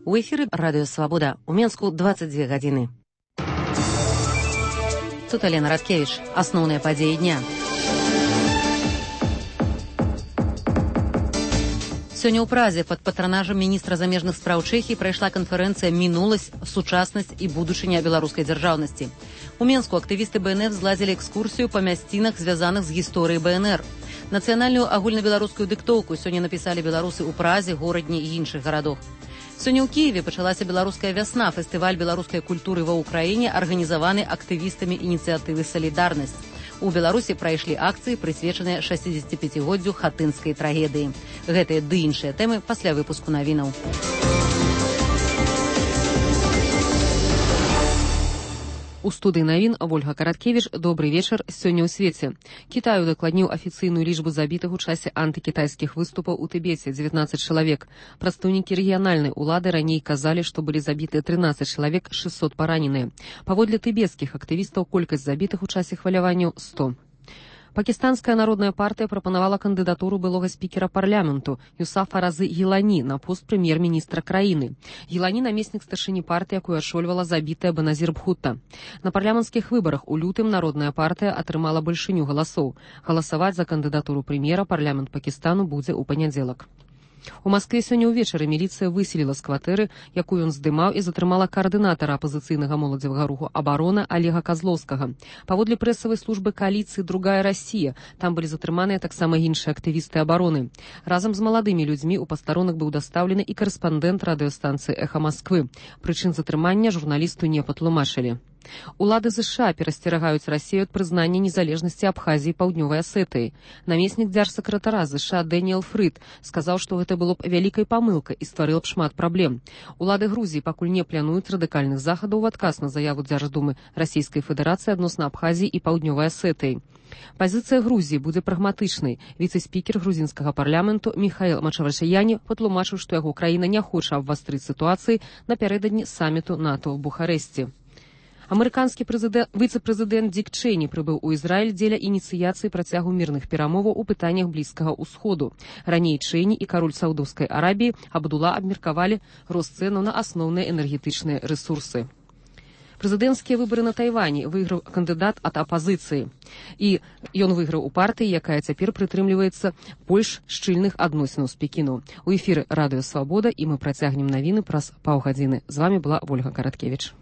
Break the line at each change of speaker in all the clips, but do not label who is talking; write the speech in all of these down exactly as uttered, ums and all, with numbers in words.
У эфіры Радыё Свабода. У Менску дваццаць дзве гадзіны. Тут Алена Радкевіч. Асноўныя падзеі дня. Сёння ў Празе пад патранажам міністра замежных спраў Чэхіі прайшла канферэнцыя «Мінуласць, сучаснасць і будучыня беларускай дзяржаўнасці». У Менску актывісты БНР зладзілі экскурсію па мясцінах, звязаных з гісторыяй БНР. Нацыянальную агульнабеларускую дыктоўку сёння напісалі беларусы ў Празе, горадні і іншых гарадах. Сёння ў Кіеве пачалася беларуская вясна, фестываль беларускай культуры ва ўкраіне, арганізаваны актывістамі ініцыятывы «Салідарнасць». У Беларусі прайшлі акцыі, прысвечаныя шэсцідзесяціпяцігоддзю хатынскай трагедыі. Гэтыя ды іншыя тэмы пасля выпуску навінаў. У студыі навін Ольга Караткевіч. Добры вечар. Сёння ў свеце. Кітай удакладніў афіцыйную лічбу забітых у часе антыкітайскіх выступаў у Тыбеце – дзевятнаццаць чалавек. Прадстаўнікі рэгіянальнай улады раней казалі, што былі забітыя трынаццаць чалавек, шэсцьсот параненыя. Паводле тыбецкіх актывістаў колькасць забітых у часе хваляванняў – сто. Пакістанская народная партыя прапанавала кандыдатуру былога спікера парламенту Юсафа Разы Гілані на пост прэм'ер-міністра краіны. Гілані – намеснік старшыні партыі, якую ашольвала забітая Беназір Бхутта. На парламенцкіх выбарах у лютым народная партыя атрымала большыню галасоў. Галасаваць за кандыдатуру прэм'ера парламент Пакістану будзе ў панядзелак. У Маскве сёння ўвечары міліцыя выселіла з кватэры, якую ён здымаў, і затрымала каардынатара апазіцыйнага моладзевага руху «Абарона» Олега Казлоўскага. Паводле прэсавай службы кааліцыі «Другая Расія» там былі затрыманыя таксама іншыя актывісты абароны. Разам з маладымі людзьмі ў пастарунак быў дастаўлены і карэспандэнт радыёстанцыі «Эхо Масквы». Прычын затрымання журналісту не патлумачылі. Улады ЗША перасцерагаюць Расію ад прызнання незалежнасці Абхазіі і Паўднёвай Асетыі. Намеснік дзяржсакратара ЗША Дэніэл Фрыд сказаў, што гэта было б вялікай памылкай і стварыла б шмат праблем. Улады Грузіі пакуль не плануюць радыкальных захадаў у адказ на заяву Дзярждумы Расійскай Федэрацыі адносна Абхазіі і Паўднёвай Асетыі. Пазіцыя Грузіі будзе прагматычнай. Віцэ-спікер грузінскага парламенту Міхаіл Мачавашыяні патлумачыў, што яго краіна не хоча абвастрыць сітуацыі напярэдадні саміту НАТО ў Бухарэсці. Амерыканскі віцэ-прэзідэнт Дік Чэйні прыбыў у Ізраіль дзеля ініцыяцыі працягу мірных перамоваў у пытаннях Блізкага ўсходу. Раней Чэйні і кароль Саўдаўскай Арабіі Абдула абмеркавалі рост цэнаў на асноўныя энергетычныя рэсурсы. Прэзідэнцкія выбары на Тайвані выйграў кандыдат ад апазіцыі. І ён выйграў у партыі, якая цяпер прытрымліваецца больш шчыльных адносінаў з Пекіну. У эфіры Радыё Свабода, і мы працягнем навіны праз паўгадзіны. З вамі была Ольга Караткевіч.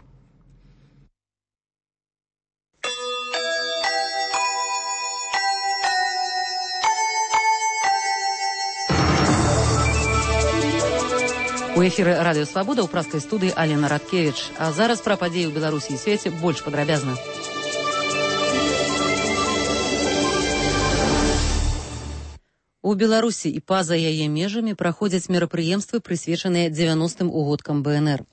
У эфіры Радыё Свабода ў празкай студыі Алена Радкевіч. А зараз пра падзеі ў Беларусі і свеце больш падрабязна. У Беларусі і па-за яе межамі праходзяць мерапрыемствы, прысвечаныя дзевяностым угодкам БНР.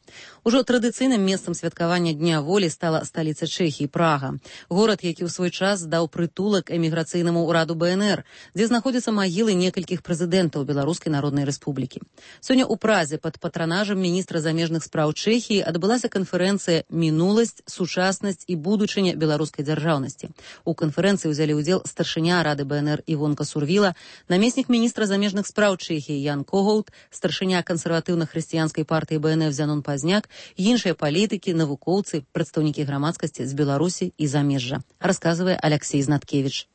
Ужо традыцыйным месцам святкавання Дня волі стала сталіца Чэхіі, Прага. Горад, які ў свой час даў прытулак эміграцыйнаму ўраду БНР, дзе знаходзяцца магілы некалькіх прэзідэнтаў Беларускай Народнай Рэспублікі. Сёння ў Празе пад патранажам міністра замежных спраў Чэхіі адбылася канферэнцыя «Мінуласць, сучаснасць і будучыня беларускай дзяржаўнасці». У канферэнцыі ўзялі ўдзел старшыня рады БНР Івонка Сурвіла, намеснік міністра замежных спраў Чэхіі Ян Когоут, старшыня кансерватыўна-хрысціянскай партыі БНР Зянон Пазняк, іншыя палітыкі, навукоўцы, прадстаўнікі грамадскасці з Беларусі і замежжа, расказвае Аляксей Знаткевіч.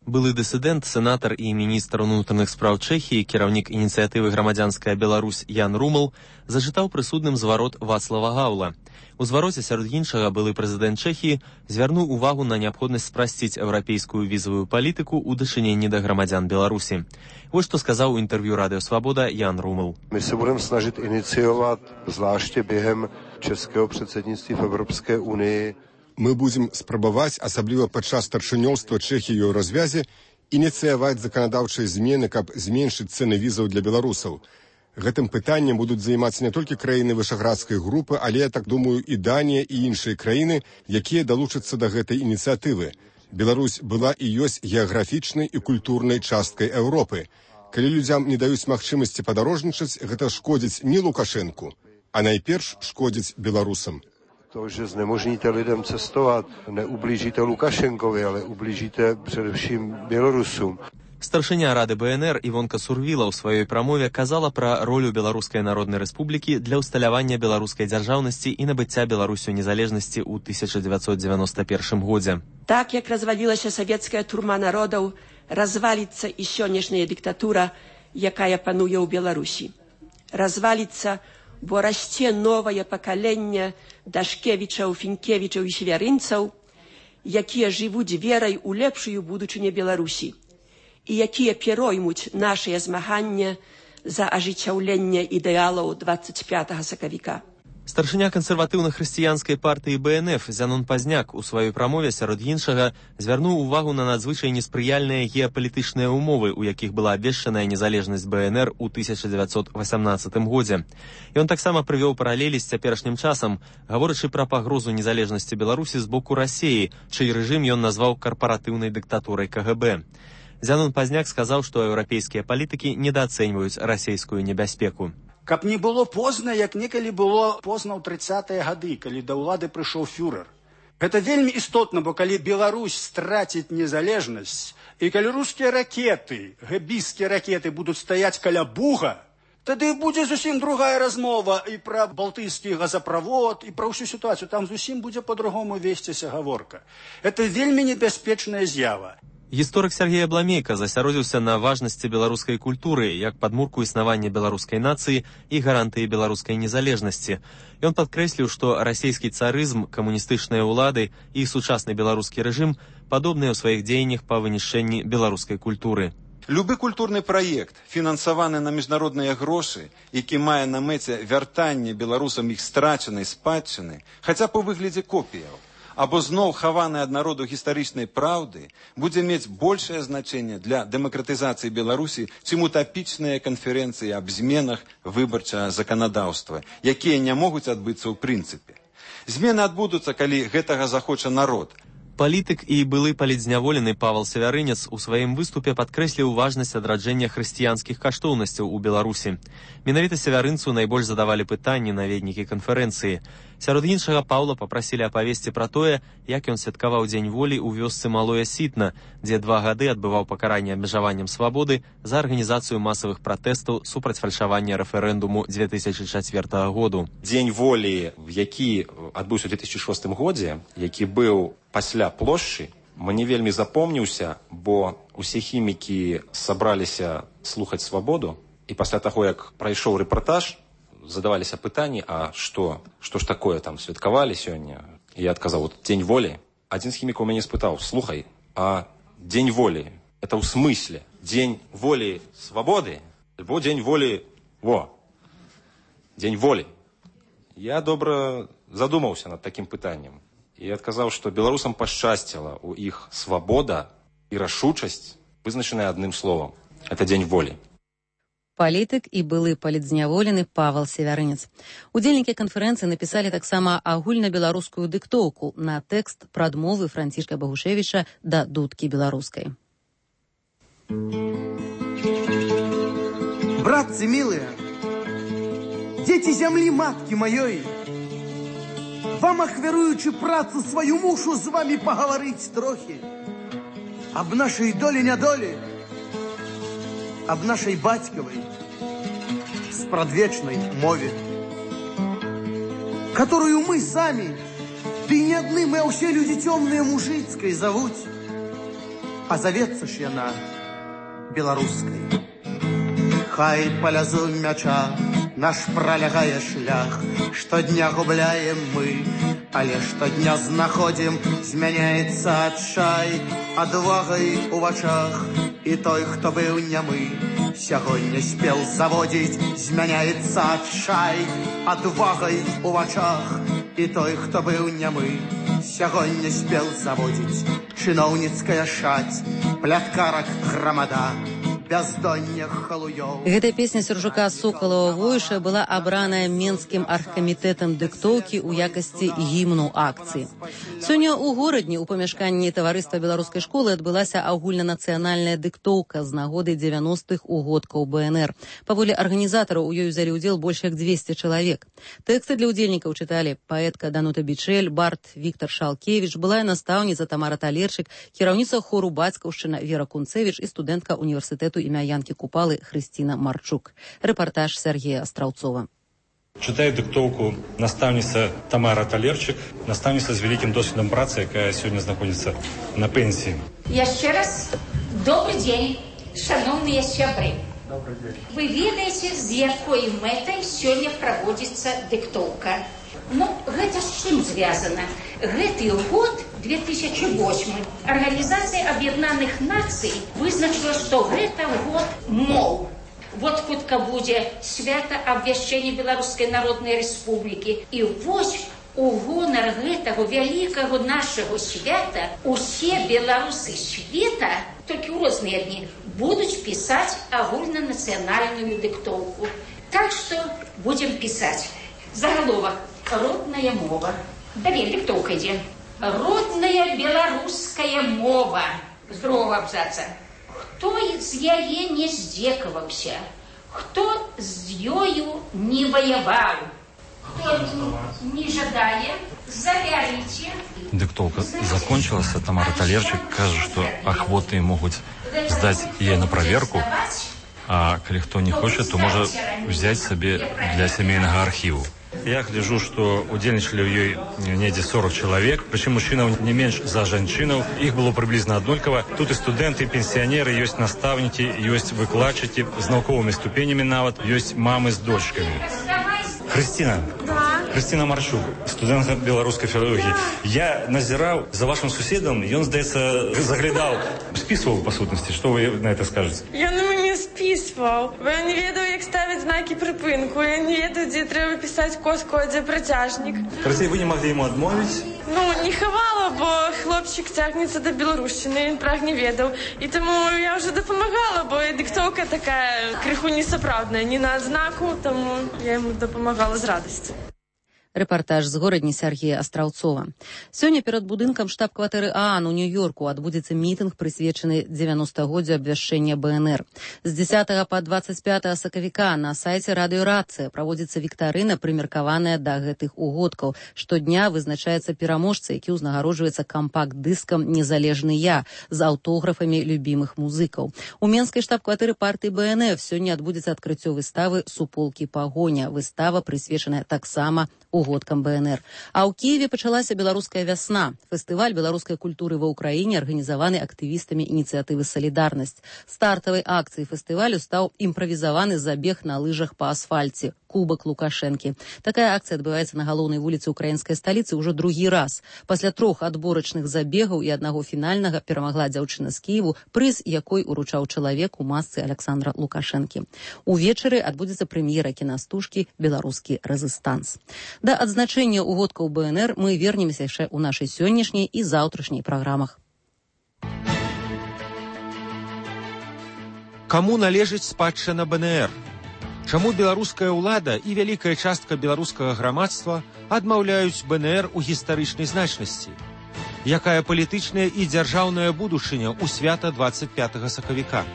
Былы дысідэнт, сенатар і міністр унутраных спраў Чэхіі, кіраўнік ініцыятывы «Грамадзянская Беларусь» Ян Румал зачытаў прысудным зварот Вацлава Гаўла. У звароце, сярод іншага, былы прэзідэнт Чэхіі звярнуў увагу на неабходнасць спрасціць еўрапейскую візавую палітыку ў дачыненні да грамадзян Беларусі. Вось што сказаў у інтэрв'ю Радыё Свабода Ян Румал.
My se budeme snažit iniciovat, zvláště během českého předsednictví v Evropské unii.
Мы будзем спрабаваць, асабліва падчас старшынёўства Чэхіі ў развязе, ініцыяваць заканадаўчыя змены, каб зменшыць цэны візаў для беларусаў. Гэтым пытаннем будуць займацца не толькі краіны вышаградскай групы, але, я так думаю, і Данія, і іншыя краіны, якія далучацца да гэтай ініцыятывы. Беларусь была і ёсць геаграфічнай і культурнай часткай Еўропы. Калі людзям не даюць магчымасці падарожнічаць, гэта шкодзіць не Лукашэнку, а найперш шкодзіць беларусам.
To, že znemožníte lidem cestovat, neublížíte Lukašenkovi, ale ublížíte především Bělorusům.
Старшыня Рады БНР Івонка Сурвіла ў сваёй прамове казала пра ролю Беларускай Народнай Рэспублікі для ўсталявання беларускай дзяржаўнасці і набыцця Беларусю незалежнасці ў тысяча дзевяцьсот девяносто первым годзе.
Так як развалілася савецкая турма народаў, разваліцца і сённяшняя дыктатура, якая пануе ў Беларусі. Разваліцца, бо расце новае пакаленне Дашкевічаў, Фінкевічаў і Свярынцаў, якія жывуць верай у лепшую будучыню Беларусі і якія пероймуць нашыя змаганні за ажыццяўленне ідэалаў двадцать пятага сакавіка.
Старшыня кансерватыўна-хрысціянскай партыі БНФ Зянон Пазняк у сваёй прамове сярод іншага звярнуў увагу на надзвычай неспрыяльныя геапалітычныя умовы, у якіх была абвешчаная незалежнасць БНР у тысяча дзевяцьсот васямнаццатым годзе. Ён таксама прывёў паралелі з цяперашнім часам, гаворачы пра пагрозу незалежнасці Беларусі з боку Расіі, чый рэжым ён назваў карпаратыўнай дыктатурай КГБ. Зянон Пазняк сказаў, што еўрапейскія палітыкі недаацэньваюць расійскую небяспеку.
Каб не было позна, як некалі было позна ў трыццатыя гады, калі да ўлады прыйшоў фюрер. Гэта вельмі істотна, бо калі Беларусь страціць незалежнасць, і калі рускія ракеты, гэбіскія ракеты будуць стаяць каля Буга, тады будзе зусім другая размова і пра балтыйскі газаправод, і пра ўсю сітуацыю. Там зусім будзе па-другому весціся гаворка. Гэта вельмі небяспечная з'ява.
Гісторык Сергей Абламейка засяродзіўся на важнасці беларускай культуры як падмурку існавання беларускай нацыі і гарантыі беларускай незалежнасці. Ён падкрэсліў, што расійскі царызм, камуністычныя ўлады і сучасны беларускі рэжым падобныя ў сваіх дзеяннях па вынішчэнні беларускай культуры.
Любы культурны праект, фінансаваны на міжнародныя грошы, які мае на мэце вяртанне беларусам іх страчанай спадчыны, хаця б у выглядзе копіяў, або зноў хаваны ад народу гістарычнай праўды, будзе мець большае значэнне для дэмакратызацыі Беларусі, чым утапічныя канферэнцыі аб зменах выбарчага заканадаўства, якія не могуць адбыцца ў прынцыпе. Змены адбудуцца, калі гэтага захоча народ.
Палітык і былы палітзняволены Павел Сявярынец у сваім выступе падкрэсліў важнасць адраджэння хрысціянскіх каштоўнасцяў у Беларусі. Менавіта Сявярынцу найбольш задавалі пытанні наведнікі канферэнцыі. Сярод іншага Паўла папрасілі апавесці пра тое, як ён святкаваў Дзень волі ў вёсцы Малое Сітна, дзе два гады адбываў пакаранне абмежаваннем свабоды за арганізацыю масавых пратэстаў супраць фальшавання рэферэндуму две тысячы чацвёртага году.
Дзень волі, які адбыўся ў две тысячы шостым годзе, які быў пасля плошчы, мне вельмі запомніўся, бо усе хімікі сабраліся слухаць свабоду, і пасля таго, як прайшоў рэпартаж, задаваліся пытанні, а што, што ж такое там святкавалі сёння? І я адказаў, вот Дзень волі. Адзін з хімікаў мяне спытаў, слухай, а Дзень волі, это ў смысле Дзень волі свабоды? Альбо Дзень волі, во, Дзень волі. Я добра задумаўся над такім пытаннем. І адказаў, што беларусам пашчасціла ў іх свабода і рашучасць, вызначаная адным словам. Это Дзень волі.
Палітык і былы палітзняволены Павел Сявярынец. Удзельнікі канферэнцыі напісалі таксама агульнабеларускую дыктоўку на тэкст прадмовы Францішка Багушевіча да дудкі беларускай.
Братцы милые, дети земли матки моей, вам ахвяруючи працу свою, мушу з вами поговорить трохи об нашей доле-нядоле, об нашей батьковой спрадвечной мове, которую мы сами, да и не одни мы, а все люди темные мужицкой зовут, а зоветься ж яна белорусской. Хай полязу мяча наш пролягае шлях, штодня губляем мы, але штодня знаходим, змяняется адчай адвагай у вачах, и той, хто быў нямы, сягоння спел заводзіць, змяняецца адчай адвагай у вачах, і той, хто быў нямы, сягоння спел заводзіць. Чыноўніцкая шаць, пляткарак грамада, бяздоння халуёў.
Гэтая песня Сержука Сокалова Войша была абраная Менскім аргкамітэтам дыктоўкі ў якасці гімну акцыі. Сёння ў горадні ў памяшканні таварыства беларускай школы адбылася агульнанацыянальная дыктоўка з нагоды дзевяностых угодкаў бэ эн эр. Паводле арганізатараў у ёй узялі ўдзел больш як дзвесце чалавек. Тэксты для ўдзельнікаў чыталі паэтка Данута Бичель, бард Віктор Шалкевіч, былая настаўніца Тамара Талерчык, кіраўніца хору Бацькаўшчына Вера Кунцевіч і студэнтка універсітэту імя Янкі Купалы Хрысціна Марчук. Рэпартаж Сергея Астраўцова.
Читает диктовку наставница Тамара Талерчик, наставница с великим досвидом працы, которая сегодня находится на пенсии.
Еще раз добрый день, шановные сябры. Вы ведаете, с якой мэтай сегодня проводится диктовка. Ну, гэта з чым звязана? Гэты год, две тысячи восьмы, Организация Объединенных Наций вызначила, что гэта год мол. Вот хутка будзе свята абвяшчэння Беларускай Народнай Рэспублікі. І вось у гонар гэтага вялікага нашага свята усе беларусы света, толькі ў розныя дні, будуць пісаць агульнанацыянальную дыктоўку. Так што будзем пісаць. Загаловак. Родная мова. Далей диктовка ідзе. Родная беларуская мова. З другого абзаца. Хто з яе не здзекаваўся? Хто з ёю не воевал? Кто не жадае? Завярите.
Диктовка закончилась, а Тамара Талерчик кажет, что охвоты могут сдать ей на проверку, а коли кто не хочет, то может взять себе для семейного архиву. Я гляжу, что удзельнічалі ў ёй недзе сорок человек, причем мужчинаў не менш за жанчынаў. Их было приблизно аднолькава. Тут и студенты, и пенсионеры, есть наставники, есть выкладчики с науковыми ступенями нават, есть мамы с дочками. Христина. Да. Христина Марчук, студентка беларускай філалогіі. Я назирал за вашим суседом, и он, здаецца, заглядал, списывал по сутности. Что вы на это скажете?
Я на мяне списывал. Я не ведаю, як ставить знаки припинку. Я не ведаю, где треба писать коску, а где протяжник.
Короче, вы не могли ему отмовить?
Ну, не ховала, бо хлопчик тягнется до Білорусщини, він праг не ведав. І тому я вже допомагала, бо диктовка така криху несоправдна, не на знаку, тому я йому допомагала з радістю.
Рэпартаж з горадні Сергея Астраўцова. Сёння перад будынкам штаб-кватэры ААН у Нью-Йорку адбудзецца мітынг, прысвечаны дзевяностагоддзю абвяшчэння бэ эн эр. З дзесятага па дваццаць пятае сакавіка на сайце радыёрацыя праводзіцца віктарына, прымеркаваная да гэтых угодкаў. Штодня вызначаецца пераможца, які ўзнагароджваецца кампакт-дыскам «Незалежны я» з аўтографамі любімых музыкаў. У менскай штаб-кватэры партыі бэ эн эф сёння адбудзецца адкрыццё выставы «Суполкі пагоня». Выстава прысвечаная таксама угодкам бэ эн эр. А ў Кіеве пачалася беларуская вясна. Фестываль беларускай культуры ва ўкраіне арганізаваны актывістамі ініцыятывы «Салідарнасць». Стартавай акцыяй фестывалю стаў імправізаваны забег на лыжах па асфальце «Кубак Лукашэнкі». Такая акцыя адбываецца на галоўнай вуліцы украінскай сталіцы ўжо другі раз. Пасля трох адборачных забегаў і аднаго фінальнага перамагла дзяўчына з Кіеву, прыз якой уручаў чалавек у масцы Александра Лукашэнкі. Увечары адбудзецца прэм'ера кінастужкі «Беларускі рэзыстанс». Да адзначэння угодкаў бэ эн эр мы вернемся яшчэ ў нашай сённяшняй і заўтрашняй праграмах.
Каму належыць спадчына бэ эн эр? Чаму беларуская ўлада і вялікая частка беларускага грамадства адмаўляюць бэ эн эр у гістарычнай значнасці? Якая палітычная і дзяржаўная будучыня ў свята дваццаць пятага сакавіка?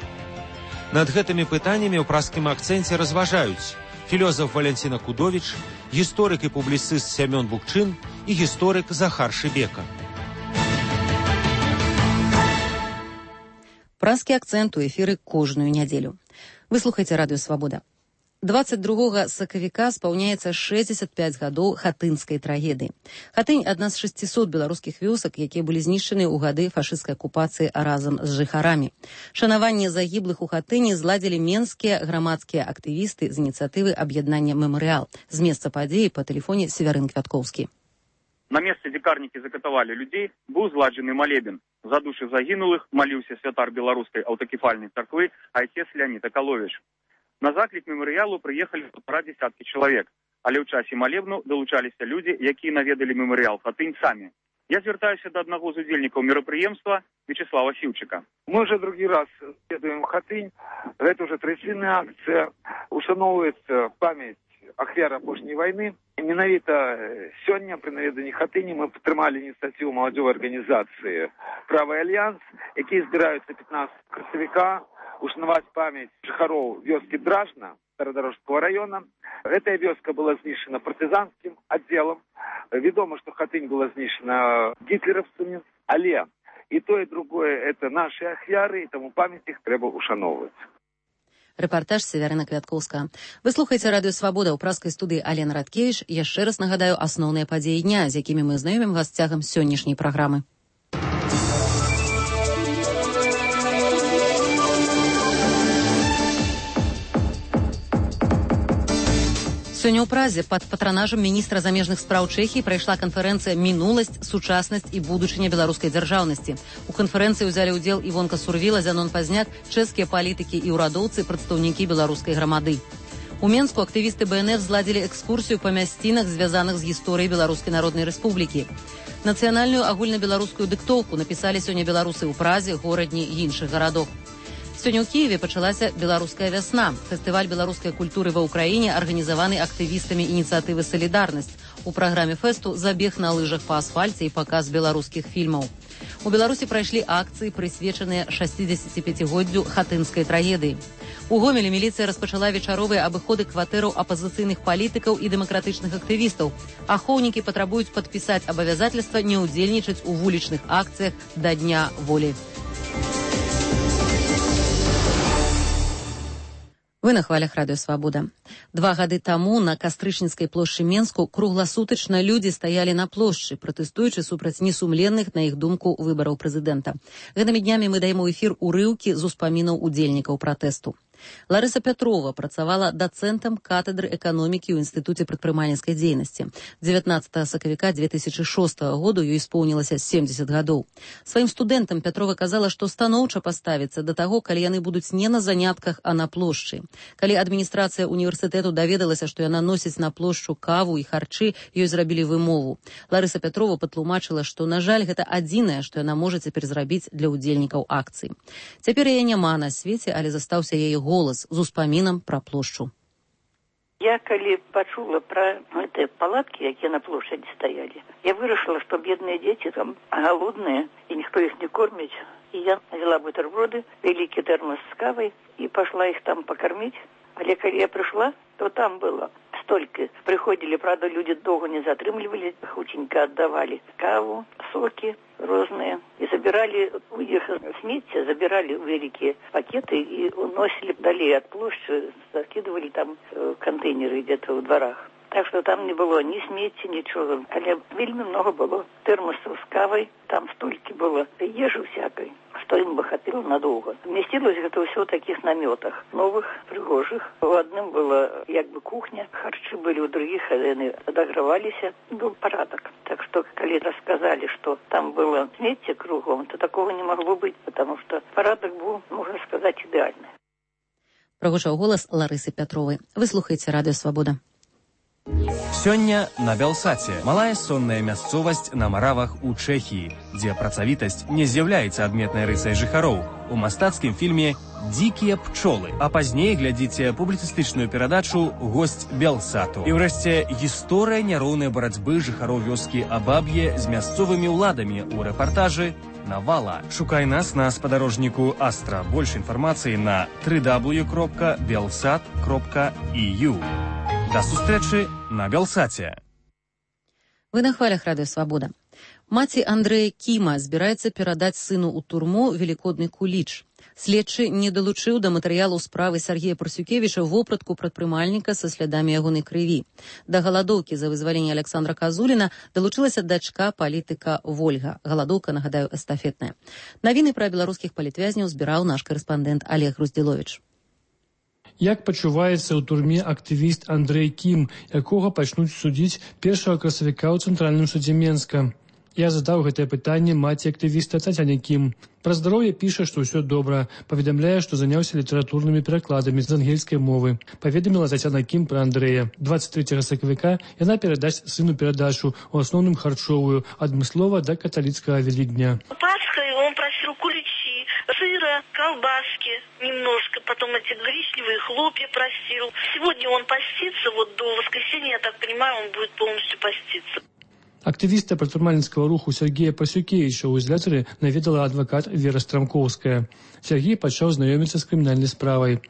Над гэтымі пытаннямі ў праскім акцэнце разважаюць філёзаф Валянціна Кудовіч, гісторык і публіцыст Сямён Букчын і гісторык Захар Шыбека.
Праскі акцэнт у эфіры кожную нядзелю. Вы слухаеце радыё «Свабода». дваццаць другога сакавіка спаўняецца шэсцьдзесят пяць гадоў хатынскай трагедыі. Хатынь – адна з шасцісот беларускіх вёсак, якія былі знішчаны ў гады фашысцкай акупацыі разам з жыхарамі. Шанаванне загіблых у Хатыні зладзілі менскія грамадскія актывісты з ініцыятывы аб'яднання «Мемарыял». З месца падзеі па тэлефоне Севярын Квяткоўскі.
На месцы, дзе карнікі закатавалі людзей, быў зладжаны малебен. За душы загінулых маліўся святар беларускай аўтакефальнай царквы айцец Леонід Акаловіч. На заклік мемарыялу прыехалі паўтара дзясяткі чалавек, але ў часе малебну далучаліся людзі, якія наведалі мемарыял Хатынь самі. Я звертаюся до одного з удзельнікаў мерапрыемства Вячеслава Сіўчыка.
Мы уже другий раз едуем в Хатынь. Это уже традиционная акция. Ушановывается память ахвяр апошняй войны. І менавіта сёння при наведанні Хатыні мы падтрымалі ініцыятыву маладзёвай арганізацыі «Правы альянс», якія збіраюцца пятнадцатого красавіка ушанаваць память жыхароў вёскі Дражна Старадарожского района. Эта вёска была знішчана партызанскім аддзелам. Вядома, што Хатынь была знішчана гітлераўцамі, але і то, і другое – это наши ахвяры, і таму памяць іх трэба ушаноўваць.
Рэпартаж Северына Квяткоўская. Вы слухаеце радыё «Свабода» ў праскай студыі Алена Радкевіч. Яшчэ раз нагадаю асноўныя падзеі дня, з якімі мы знаёмім вас цягам сённяшняй праграмы. Сёння ў Празе пад патранажам міністра замежных спраў Чэхіі прайшла канферэнцыя «Мінуласць, сучаснасць і будучыня беларускай дзяржаўнасці». У канферэнцыі ўзялі ўдзел Івонка Сурвіла, Зянон Пазняк, чэшскія палітыкі і ўрадоўцы, прадстаўнікі беларускай грамады. У Менску актывісты Бэ Эн Эф зладзілі экскурсію па мясцінах, звязаных з гісторыяй Беларускай Народнай Рэспублікі. Нацыянальную агульнабеларускую дыктоўку напісалі сёння беларусы ў Празе, горадні і іншых гарадах. Сёння ў Кіеве пачалася беларуская вясна. Фестываль беларускай культуры ва ўкраіне арганізаваны актывістамі ініцыятывы «Салідарнасць». У праграме фэсту забег на лыжах па асфальце і паказ беларускіх фільмаў. У Беларусі прайшлі акцыі, прысвечаныя шасцідзесяціпяцігоддзю хатынскай трагедыі. У Гомелі міліцыя распачала вечаровыя абыходы кватэраў апазіцыйных палітыкаў і дэмакратычных актывістаў. Ахоўнікі патрабуюць падпісаць абавязательства не ўдзельнічаць у вулічных акцыях да Дня волі. Вы на хвалях радыё «Свабода». Два гады таму на Кастрычніцкай плошчы Менску кругласутачна людзі стаялі на плошчы, пратэстуючы супраць несумленных, на іх думку, выбараў прэзідэнта. Гэтымі днямі мы даем у эфір урыўкі з успамінаў удзельнікаў пратэсту. Ларыса Пятрова працавала дацэнтам катедры эканомікі ў Інстытуце прадпрымальніцкай дзейнасці. дзевятнаццатага сакавіка две тысячы шостага году ёй споўнілася семдзесят гадоў. Сваім студэнтам Пятрова казала, што станоўча паставіцца да таго, калі яны будуць не на занятках, а на плошчы. Калі адміністрацыя універсітэту даведалася, што яна носіць на плошчу каву і харчы, ёй зрабілі вымову. Ларыса Пятрова патлумачыла, што, на жаль, гэта адзінае, што яна можа цяпер зрабіць для ўдзельнікаў акцыі. Цяпер яе няма на свеце, але застаўся яе голас з успамінам пра плошчу.
Я, калі пачула пра гэтыя палаткі, якія на плошчадзі стаялі, я вырашыла, што бедныя дзеці там галодныя, і ніхто іх не корміць. І я взяла бутерброды, вялікі тэрмос з кавай, і пашла іх там пакарміць. Але калі я прыйшла, то там было столькі. Прыходзілі, правда, людзі доўга не затрымлівалі, хутенька аддавалі каву, сокі розныя. І забіралі у іх смецце, забіралі вялікія пакеты і уносілі далей ад плошчы, закидывалі там кантэйнеры где-то ў дварах. Так што там не было ні смецці, нічога. Але вельмі много было тэрмосаў з кавай, там столькі было ежы всякай, што ім бы хапіла надоўга. Вместилось гэта ўсё ў такіх намётах, новых, прыгожых. У адным была як бы кухня, харчы былі, у другіх яны адаграваліся, быў парадак. Так што, калі расказалі, што там было смецце кругом, то такого не магло быць, потому што парадак быў, можна сказаць, ідэальны.
Прагучаў голас Ларысы Пятровай. Вы слухаеце радыё «Свабода».
Сёння на Бялсаце малая сонная мясцовасць на Маравах у Чэхіі, дзе працавітасць не з'яўляецца адметнай рысай жыхароў. У мастацкім фільме «Дзікія пчолы», а пазней глядзіце публіцыстычную перадачу «Госць Бялсату». І ўрэшце гісторыя няроўнай барацьбы жыхароў вёскі Абаб'е з мясцовымі ўладамі ў рэпартажы «Навала». Шукай нас на спадарожніку Астра. Больш інфармацыі на дабл ю дабл ю дабл ю кропка белсат кропка і ю. До сустрэчы на Бялсаце.
Вы на хвалях радыё «Свабода». Маці Андрэя Кіма збіраецца перадаць сыну ў турму велікодны куліч. Следчы не далучыў да матэрыялу справы Сергея Парсюкевіча вопратку прадпрымальніка са слядамі ягонай крыві. Да галадоўкі за вызваленне Александра Казуліна далучылася дачка палітыка Вольга. Галадоўка, нагадаю, эстафетная. Навіны пра беларускіх палітвязняў збіраў наш карэспандэнт Олег Груздзіловіч.
Як пачуваецца ў турме актывіст Андрэй Кім, якога пачнуць судзіць першага красавіка ў Цэнтральным судзе Менска. Я задаў гэтае пытанне маці актывіста Тацяне Кім. Пра здароўе піша, што ўсё добра. Паведамляе, што заняўся літаратурнымі перакладамі з ангельскай мовы. Паведаміла Тацяна Кім пра Андрэя. двадцать третьего сакавіка яна перадасць сыну перадачу, у асноўным харчовую, адмыслова да каталіцкага Великдня.
Пасхой он просил куличи, сыра, колбаски немножко, потом эти гречневые хлопья просил. Сегодня он постится, вот до воскресенья, я так понимаю, он будет полностью поститься.
Актывіста прадпрымальніцкага руху Сергея Парсюкевіча ў ізалятары наведала адвакат Вера Страмкоўская. Сергей пачаў знаёміцца з крымінальнай справай.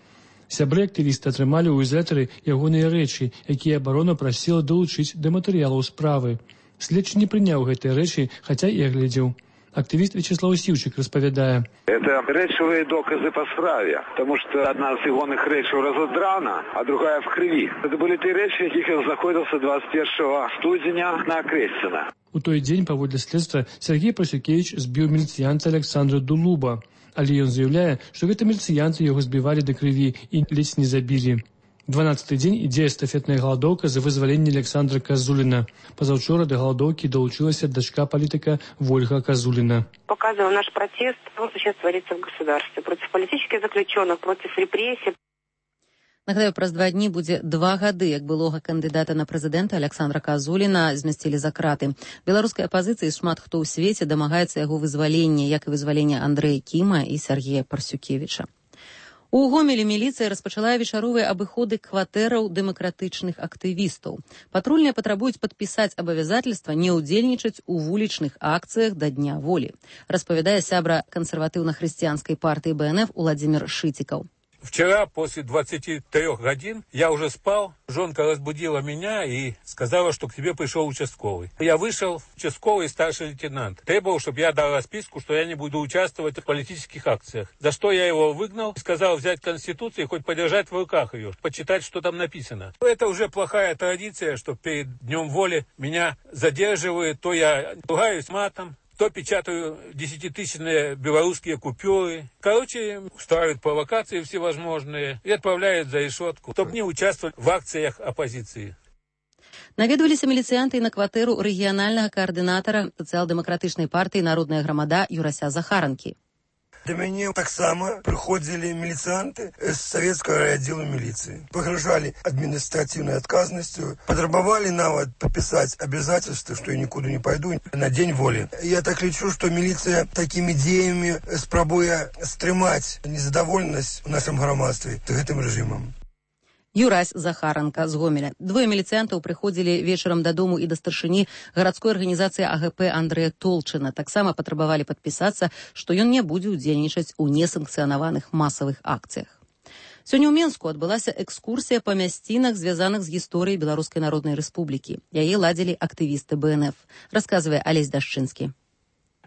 Сябры актывіста атрымалі ў ізалятары ягоныя рэчы, якія абарона прасіла долучыць да матэрыялаў справы. Следчы не прыняў гэтыя рэчы, хаця і агледзеў. Активист Вячеслав Сивчик распавядае.
Это речевые доказы по справе, потому что одна из егоных речей разодрана, а другая в крови. Это были те речи, яких он находился двадцать первого студеня на Крестина.
У той дзень, паводле следства, Сергей Парсюкевич збіў міліцыянта Александра Дулуба. Але ён заявляе, што гэта міліцыянты яго збівалі да крыві і ледзь не забілі. дванадцаты дзень ідзе эстафетная галадоўка за вызваленне Александра Казуліна. Пазаўчора да галадоўкі долучилась дочка политика Вольга Казулина.
Показываем наш протест, что сейчас творится в государстве, против политических заключенных, против репрессий.
Нагадаю, праз два дні будзе два гады, як былога кандыдата на прэзідэнта Александра Казуліна змясцілі за краты. Беларускай апазіцыі шмат хто ў свеце дамагаецца яго вызвалення, як і вызвалення Андрэя Кіма і Сергея Парсюкевіча. У Гомелі міліцыя распачала вечаровыя абыходы кватэраў дэмакратычных актывістаў. Патрульныя патрабуюць падпісаць абавязательства не ўдзельнічаць у вулічных акцыях да Дня волі, распавядае сябра кансерватыўна-хрысціянскай партыі Бэ Эн Эф Уладзімір Шытикаў.
Вчера после двадцати трёх годин я уже спал, жонка разбудила меня и сказала, что к тебе пришел участковый. Я вышел, участковый старший лейтенант. Требовал, чтобы я дал расписку, что я не буду участвовать в политических акциях. За что я его выгнал, сказал взять Конституцию и хоть подержать в руках ее, почитать, что там написано. Это уже плохая традиция, что перед Днем воли меня задерживают, то я ругаюсь матом, то печатаю десятитысячные белорусские купюры. Короче, устраивают провокации всевозможные и отправляют за решетку, чтобы не участвовать в акциях оппозиции.
Наведваліся міліцыянты і на кватэру рэгіянальнага каардынатара сацыял-дэмакратычнай партыі «Народная грамада» Юрася Захаранкі.
До меня так само приходили милицианты с советского райотдела милиции. Погрожали административной отказностью, потребовали навод подписать обязательства, что я никуда не пойду на День воли. Я так лечу, что милиция такими идеями спробуя стримать незадоволенность в нашем громадстве этим режимом.
Юрась Захаранка з Гомеля. Двое міліцыянтаў прыходзілі вечарам дадому і да старшыні гарадской арганізацыі А Гэ Пэ Андрэя Толчына. Таксама патрабавалі падпісацца, што ён не будзе ўдзельнічаць у несанкцыянаваных масавых акцыях. Сёння ў Менску адбылася экскурсія па мясцінах, звязаных з гісторыяй Беларускай Народнай Рэспублікі. Яе ладзілі актывісты Бэ Эн Эф. Расказвае Алесь Дашчынскі.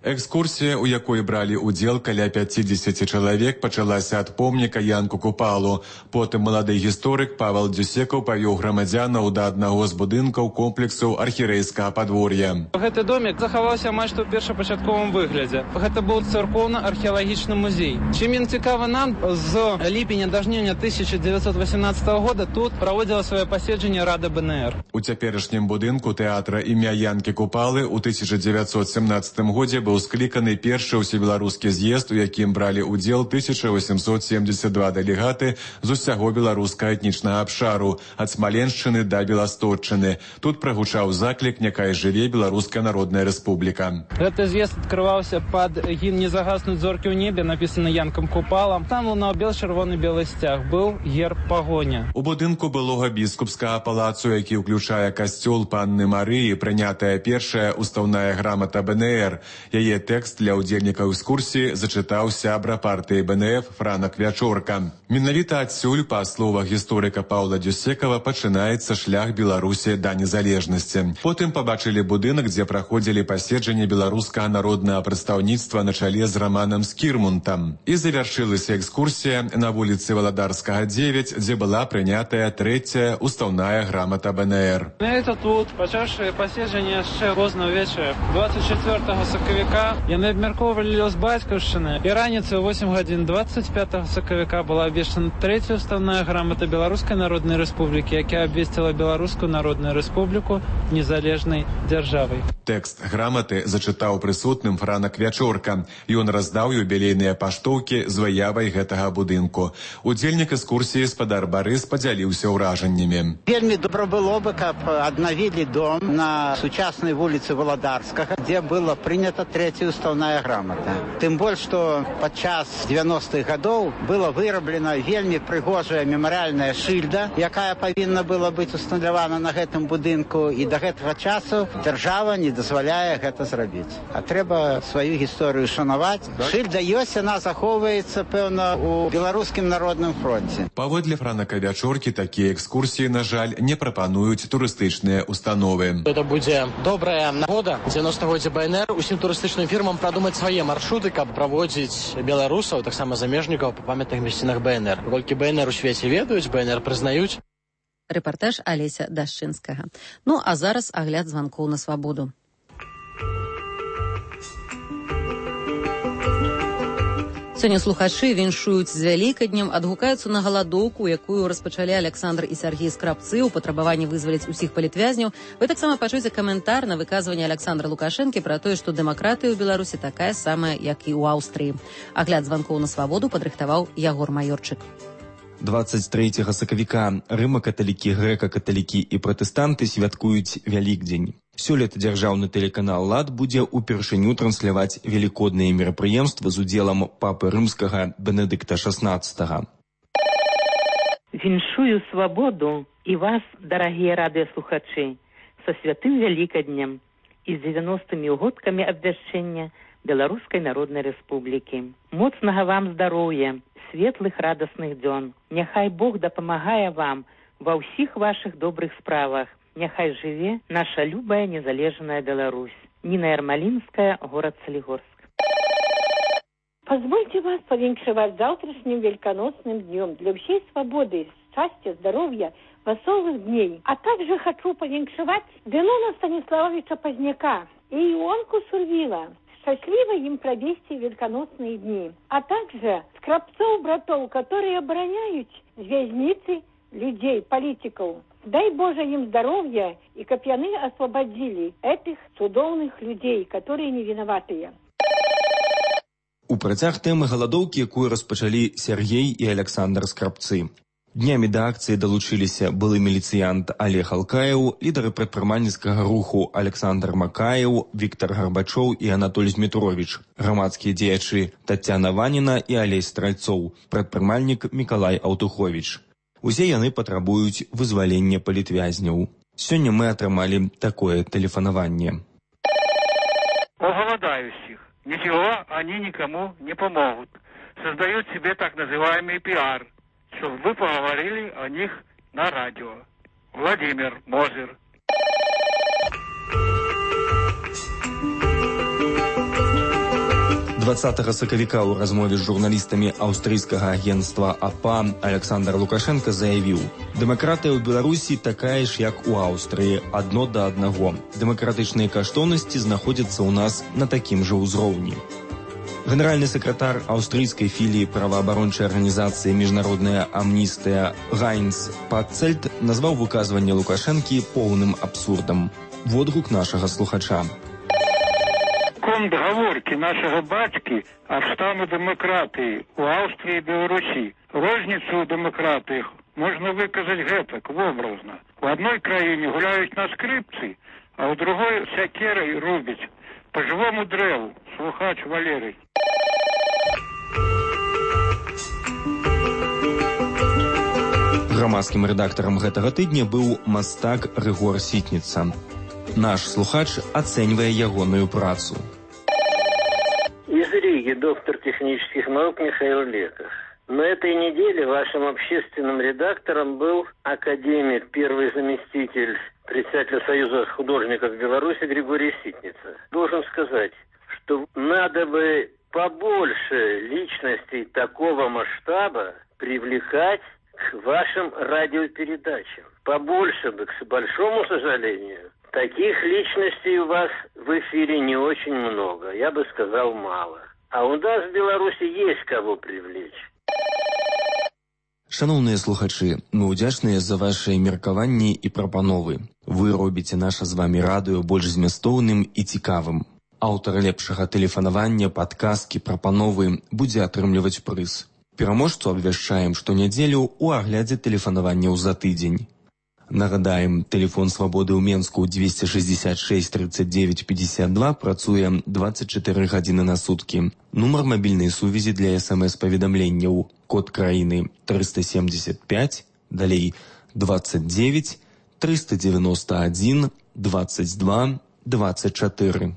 Экскурсія, у якой бралі ўдзел каля пяцідзесяці чалавек, пачалася ад помніка Янку Купалу. Потым малады гісторык Павел Дзюсекаў павёў грамадзянаў да аднаго з будынкаў комплексу архірэйскага падвор'я.
Гэты домик захаваўся амаль што ў першапачатковым выглядзе. Гэта быў царкоўна-археалагічны музей. Чым ён цікавы нам, з ліпеня да жніўня тысяча дзевяцьсот васямнаццатага года тут праводзіла сваё паседжанне Рада Бэ Эн Эр.
У цяперашнім будынку тэатра імя Янкі Купалы ў тысяча дзевяцьсот сямнаццатым годзе быў скліканы першы ўсебеларускі з'езд, у якім бралі ўдзел тысяча восемьсот семьдесят два дэлегаты з усяго беларускага этнічнага абшару, ад Смаленшчыны да Беласточчыны. Тут прагучаў заклік «Няхай жыве Беларуская Народная Рэспубліка».
Гэты з'езд адкрываўся пад гімн «Не загаснуць зоркі ў небе», напісаны Янкам Купалам. Там лунаў бел-чырвоны-белы сцяг, быў герб пагоня.
У будынку былога біскупскага палацу, які ўключае касцёл Панны Марыі, прынятая першая устаўная грамата Бэ Эн Эр. Яе тэкст для ўдзельнікаў экскурсіі зачытаў сябра партыі Бэ Эн Эф Франак Вячорка. Менавіта адсюль, па словах гісторыка Паўла Дзюсекава, пачынаецца шлях Беларусі да незалежнасці. Потым пабачылі будынак, дзе праходзілі паседжанні беларускага народнага прадстаўніцтва на чале з Раманам Скірмунтам. І завяршылася экскурсія на вуліцы Валадарскага дзевяць, дзе была прынятая трэцяя устаўная грамата Бэ Эн Эр.
Это тут, пачаўшы паседжанне яшчэ позна ўвечары, двадцать четвёртага сакавіка сакавіка яны абмяркоўвалі лёс бацькаўшчыны. І раніцай у восем гадзін двадцать пятага сакавіка была абвешчана трэцяя уставная грамата Беларускай Народнай Рэспублікі, якая абвесціла Беларускую Народную Рэспубліку незалежнай дзяржавай.
Тэкст граматы зачытаў прысутным Франак Вячорка. Ён раздаў юбілейныя паштоўкі з выявай гэтага будынку. Удзельнік экскурсіі спадар Барыс падзяліўся ўражаннямі.
Вельмі добра было бы, каб аднавілі дом на сучаснай вуліцы Валадарскага, дзе была прынята трэцяя уставная грамата. Тым больш, што падчас девяностых гадоў была выраблена вельмі прыгожая мемарыяльная шыльда, якая павінна была быць усталявана на гэтым будынку, і да гэтага часу дзяржава не дазваляе гэта зрабіць. А трэба сваю гісторыю шанаваць. Шыльда ёсць, яна захоўваецца, пэўна, у беларускім народным фронце.
Паводле Франака Вячоркі, такія экскурсіі, на жаль, не прапануюць турыстычныя установы.
Это будзе добрая нагода дзевяностага годзе БНР усім турыстычным фірмам прадумаць свае маршруты, каб праводзіць беларусаў, таксама замежнікаў па памятных мясцінах БНР. Колькі БНР у свеце ведаюць, БНР прызнаюць.
Рэпартаж Алеся Дашчынскага. Ну, а зараз агляд званкоў на свабоду. Сёння слухачы віншуюць з вялікаднем, адгукаюцца на галадоўку, якую распачалі Александр і Сергей Скрабцы ў патрабаванні вызваліць усіх палітвязняў. Вы таксама пачуеце каментар на выказванне Александра Лукашэнкі пра тое, што дэмакратыя ў Беларусі такая самая, як і ў Аўстрыі. Агляд званкоў на свабоду падрыхтаваў Ягор Маёрчык.
двадцать трэцяга сакавіка рыма-каталікі, грэка-каталікі і пратэстанты святкуюць Вялікдзень. Сёлета дзяржаўны тэлеканал «Лад» будзе ўпершыню трансляваць велікодныя мерапрыемствы з удзелам папы рымскага Бенедыкта шаснаццатага.
Віншую свабоду і вас, дарагія радыёслухачы, са святым Вялікаднем і з дзевяностымі годкамі абвяшчэння Беларускай Народнай Рэспублікі. Моцнага вам здароўя, светлых радасных дзён. Няхай Бог дапамагае вам ва ўсіх вашых добрых справах. Няхай жыве наша любая незалежная Беларусь. Нина Ермолинская, город Солигорск.
Позвольте вас повенчевать завтрашним великоносным днем для всей свободы, счастья, здоровья, веселых дней. А также хочу повенчевать Денона Станиславовича Поздняка и Ионку Сурвила. Счастливо им провести великоносные дни. А также Скрабцов-братов, которые обороняют вязницы людей, политиков. Дай Боже им здоровья, и каб яны освободили этих цудоўных людей, которые не виноватые.
У працяг тэмы галадоўкі, якую распачалі Сергей і Александр Скрабцы. Днямі да акцыі далучыліся былы міліцыянт Олег Алкаев, лідары прадпрымальніцкага руху Александр Макаев, Віктор Гарбачоў і Анатоль Змітровіч, грамадскія дзеячы Тацяна Ваніна і Алесь Страйцоў, прадпрымальнік Мікалай Аўтуховіч. Усе яны патрабуюць вызвалення палітвязняў. Сёння мы атрымалі такое тэлефанаванне.
У голодающих ничего они никому не помогут. Создают себе так называемый пиар, чтобы вы поговорили о них на радио. Владимир Мозер.
дваццатага сакавіка ў размове з журналістамі аўстрыйскага агенцтва АПА Александр Лукашенко заявіў: «Дэмакратыя ў Беларусі такая ж, як у Аўстрыі, адно да аднаго. Дэмакратычныя каштоўнасці знаходзяцца ў нас на такім жа ўзроўні». Генеральны сакратар аўстрыйскай філіі праваабарончай арганізацыі «Міжнародная амністыя» Гайнц Паццельд назваў выказванне Лукашэнкі поўным абсурдам. Водгук нашага слухача.
Контрговорки нашего батьки о стану демократии у Австрии и Беларуси. Розницу в демократиях можно выказать гэтак, образно. В одной краине гуляют на скрипці, а в другой сякерой рубить. По живому древу. Слухач Валерий.
Грамадскім рэдактарам гэтага тыдня быў мастак Рыгор Сітніца. Наш слухач оценивая ягоную працу.
Из Риги доктор технических наук Михаил Леков. На этой неделе вашим общественным редактором был академик, первый заместитель председателя Союза художников Беларуси Григорий Ситница. Должен сказать, что надо бы побольше личностей такого масштаба привлекать к вашим радиопередачам. Побольше бы, к большому сожалению, Таких личностей у вас в эфире не очень много, я бы сказал, мало. А у нас в Беларуси есть кого привлечь.
Шановныя слухачы, мы ўдзячныя за вашыя меркаванні і прапановы. Вы робіце наша з вамі радыё больш змястоўным і цікавым. Аўтар лепшага тэлефанавання, падказкі, прапановы будзе атрымліваць прыз. Пераможцу абвяшчаем штонядзелю ў аглядзе тэлефанаванняў за тыдзень. Нагадаем, тэлефон свабоды ў Менску двести шестьдесят шесть тридцать девять пятьдесят два працуе двадцать четыре гадзіны на суткі. Нумар мабільнай сувязі для эс-эм-эс-паведамленняў. Код краіны триста семьдесят пять, далей двадцать девять триста девяносто один двадцать два двадцать четыре.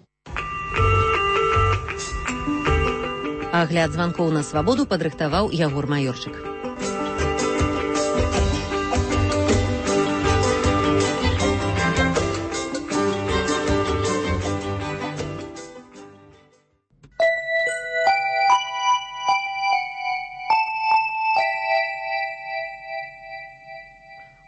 Агляд званкоў на свабоду падрыхтаваў Ягор Маёрчык.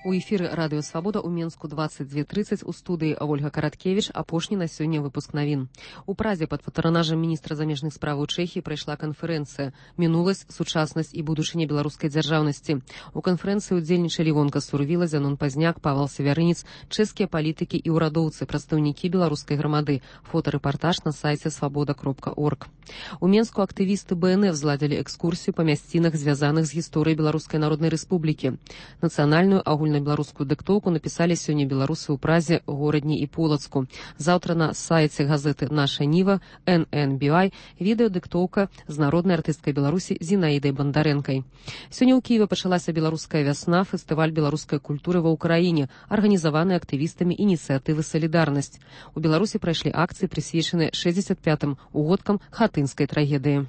У эфіры радыё «Свабода» ў Менску двадцать два тридцать, у студыі Ольга Караткевіч, апошні на сёння выпуск навін. У Празе пад патранажам міністра замежных справаў Чэхіі прайшла канферэнцыя «Мінуласць, сучаснасць і будучыня беларускай дзяржаўнасці». У канферэнцыі ўдзельнічалі Вонка Сурвіла, Зянон Пазняк, Павал Севярынец, чэшскія палітыкі і ўрадоўцы, прадстаўнікі беларускай грамады. Фотарэпартаж на сайце свабода кропка орг. У Менску актывісты бэ эн эф зладзілі экскурсію па мясцінах, звязаных з гісторыяй Беларускай Народнай Рэспублікі. Нацыянальную агульную беларускую дыктоўку напісалі сёння беларусы ў Празе, Горадні і Полацку. Заўтра на сайце газеты «Наша Ніва» эн эн би ай відэадыктоўка з народнай артысткай Беларусі Зінаідай Бандарэнкай. Сёння ў Кіеве пачалася беларуская вясна, фестываль беларускай культуры ва ўкраіне, арганізаваны актывістамі ініцыятывы «Салідарнасць». У Беларусі прайшлі акцыі, прысвечаныя шэсцьдзесят пятым угодкам хатынскай трагедыі.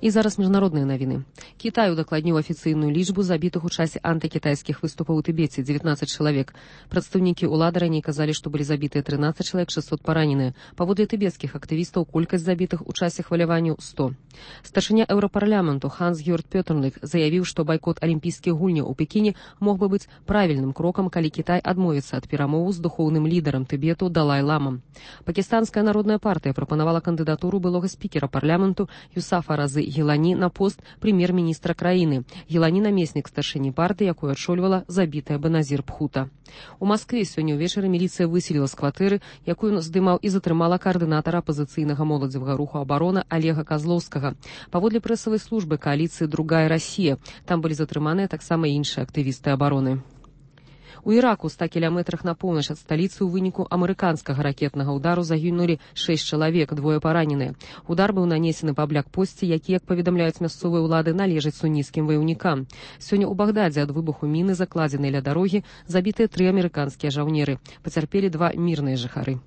І зараз міжнародныя навіны. Кітай удакладніў афіцыйную лічбу забітых у часе антыкітайскіх выступаў у Тыбеце – дзевятнаццаць чалавек. Прадстаўнікі ўлады раней казалі, што былі забітыя трынаццаць чалавек, шэсцьсот параненыя. Паводле тыбецкіх актывістаў колькасць забітых у часе хваляванняў сто. Старшыня еўрапарламенту Ханс-Гёрд Пётерлік заявіў, што байкот алімпійскіх гульняў у Пекіне мог бы быць правільным крокам, калі Кітай адмовіцца ад перамоваў з духоўным лідарам Тыбету Далай-ламам. Пакістанская народная партыя прапанавала кандыдатуру былога спікера парламенту Юсафа Разы Гілані на пост прэм'ер-міністра краіны. Гілані – намеснік старшыні партыі, якую адшольвала забітая Беназір Пхута. У Маскве сёння ўвечары міліцыя выселіла з кватэры, якую здымаў і затрымала каардынатара апазіцыйнага моладзевага руху «Абарона» Олега Казлоўскага. Паводле прэсавай службы кааліцыі «Другая Расія» там былі затрыманыя таксама іншыя актывісты абароны. У Іраку ста кіламетрах на поўнач ад сталіцы ў выніку амерыканскага ракетнага ўдару загінулі шэсць чалавек, двое параненыя. Удар быў нанесены па блякпосце, які, як паведамляюць мясцовыя ўлады, належаць суніцкім ваяўнікам. Сёння ў Багдадзе ад выбуху міны, закладзенай ля дарогі, забітыя тры амерыканскія жаўнеры. Пацярпелі два мірныя жыхары.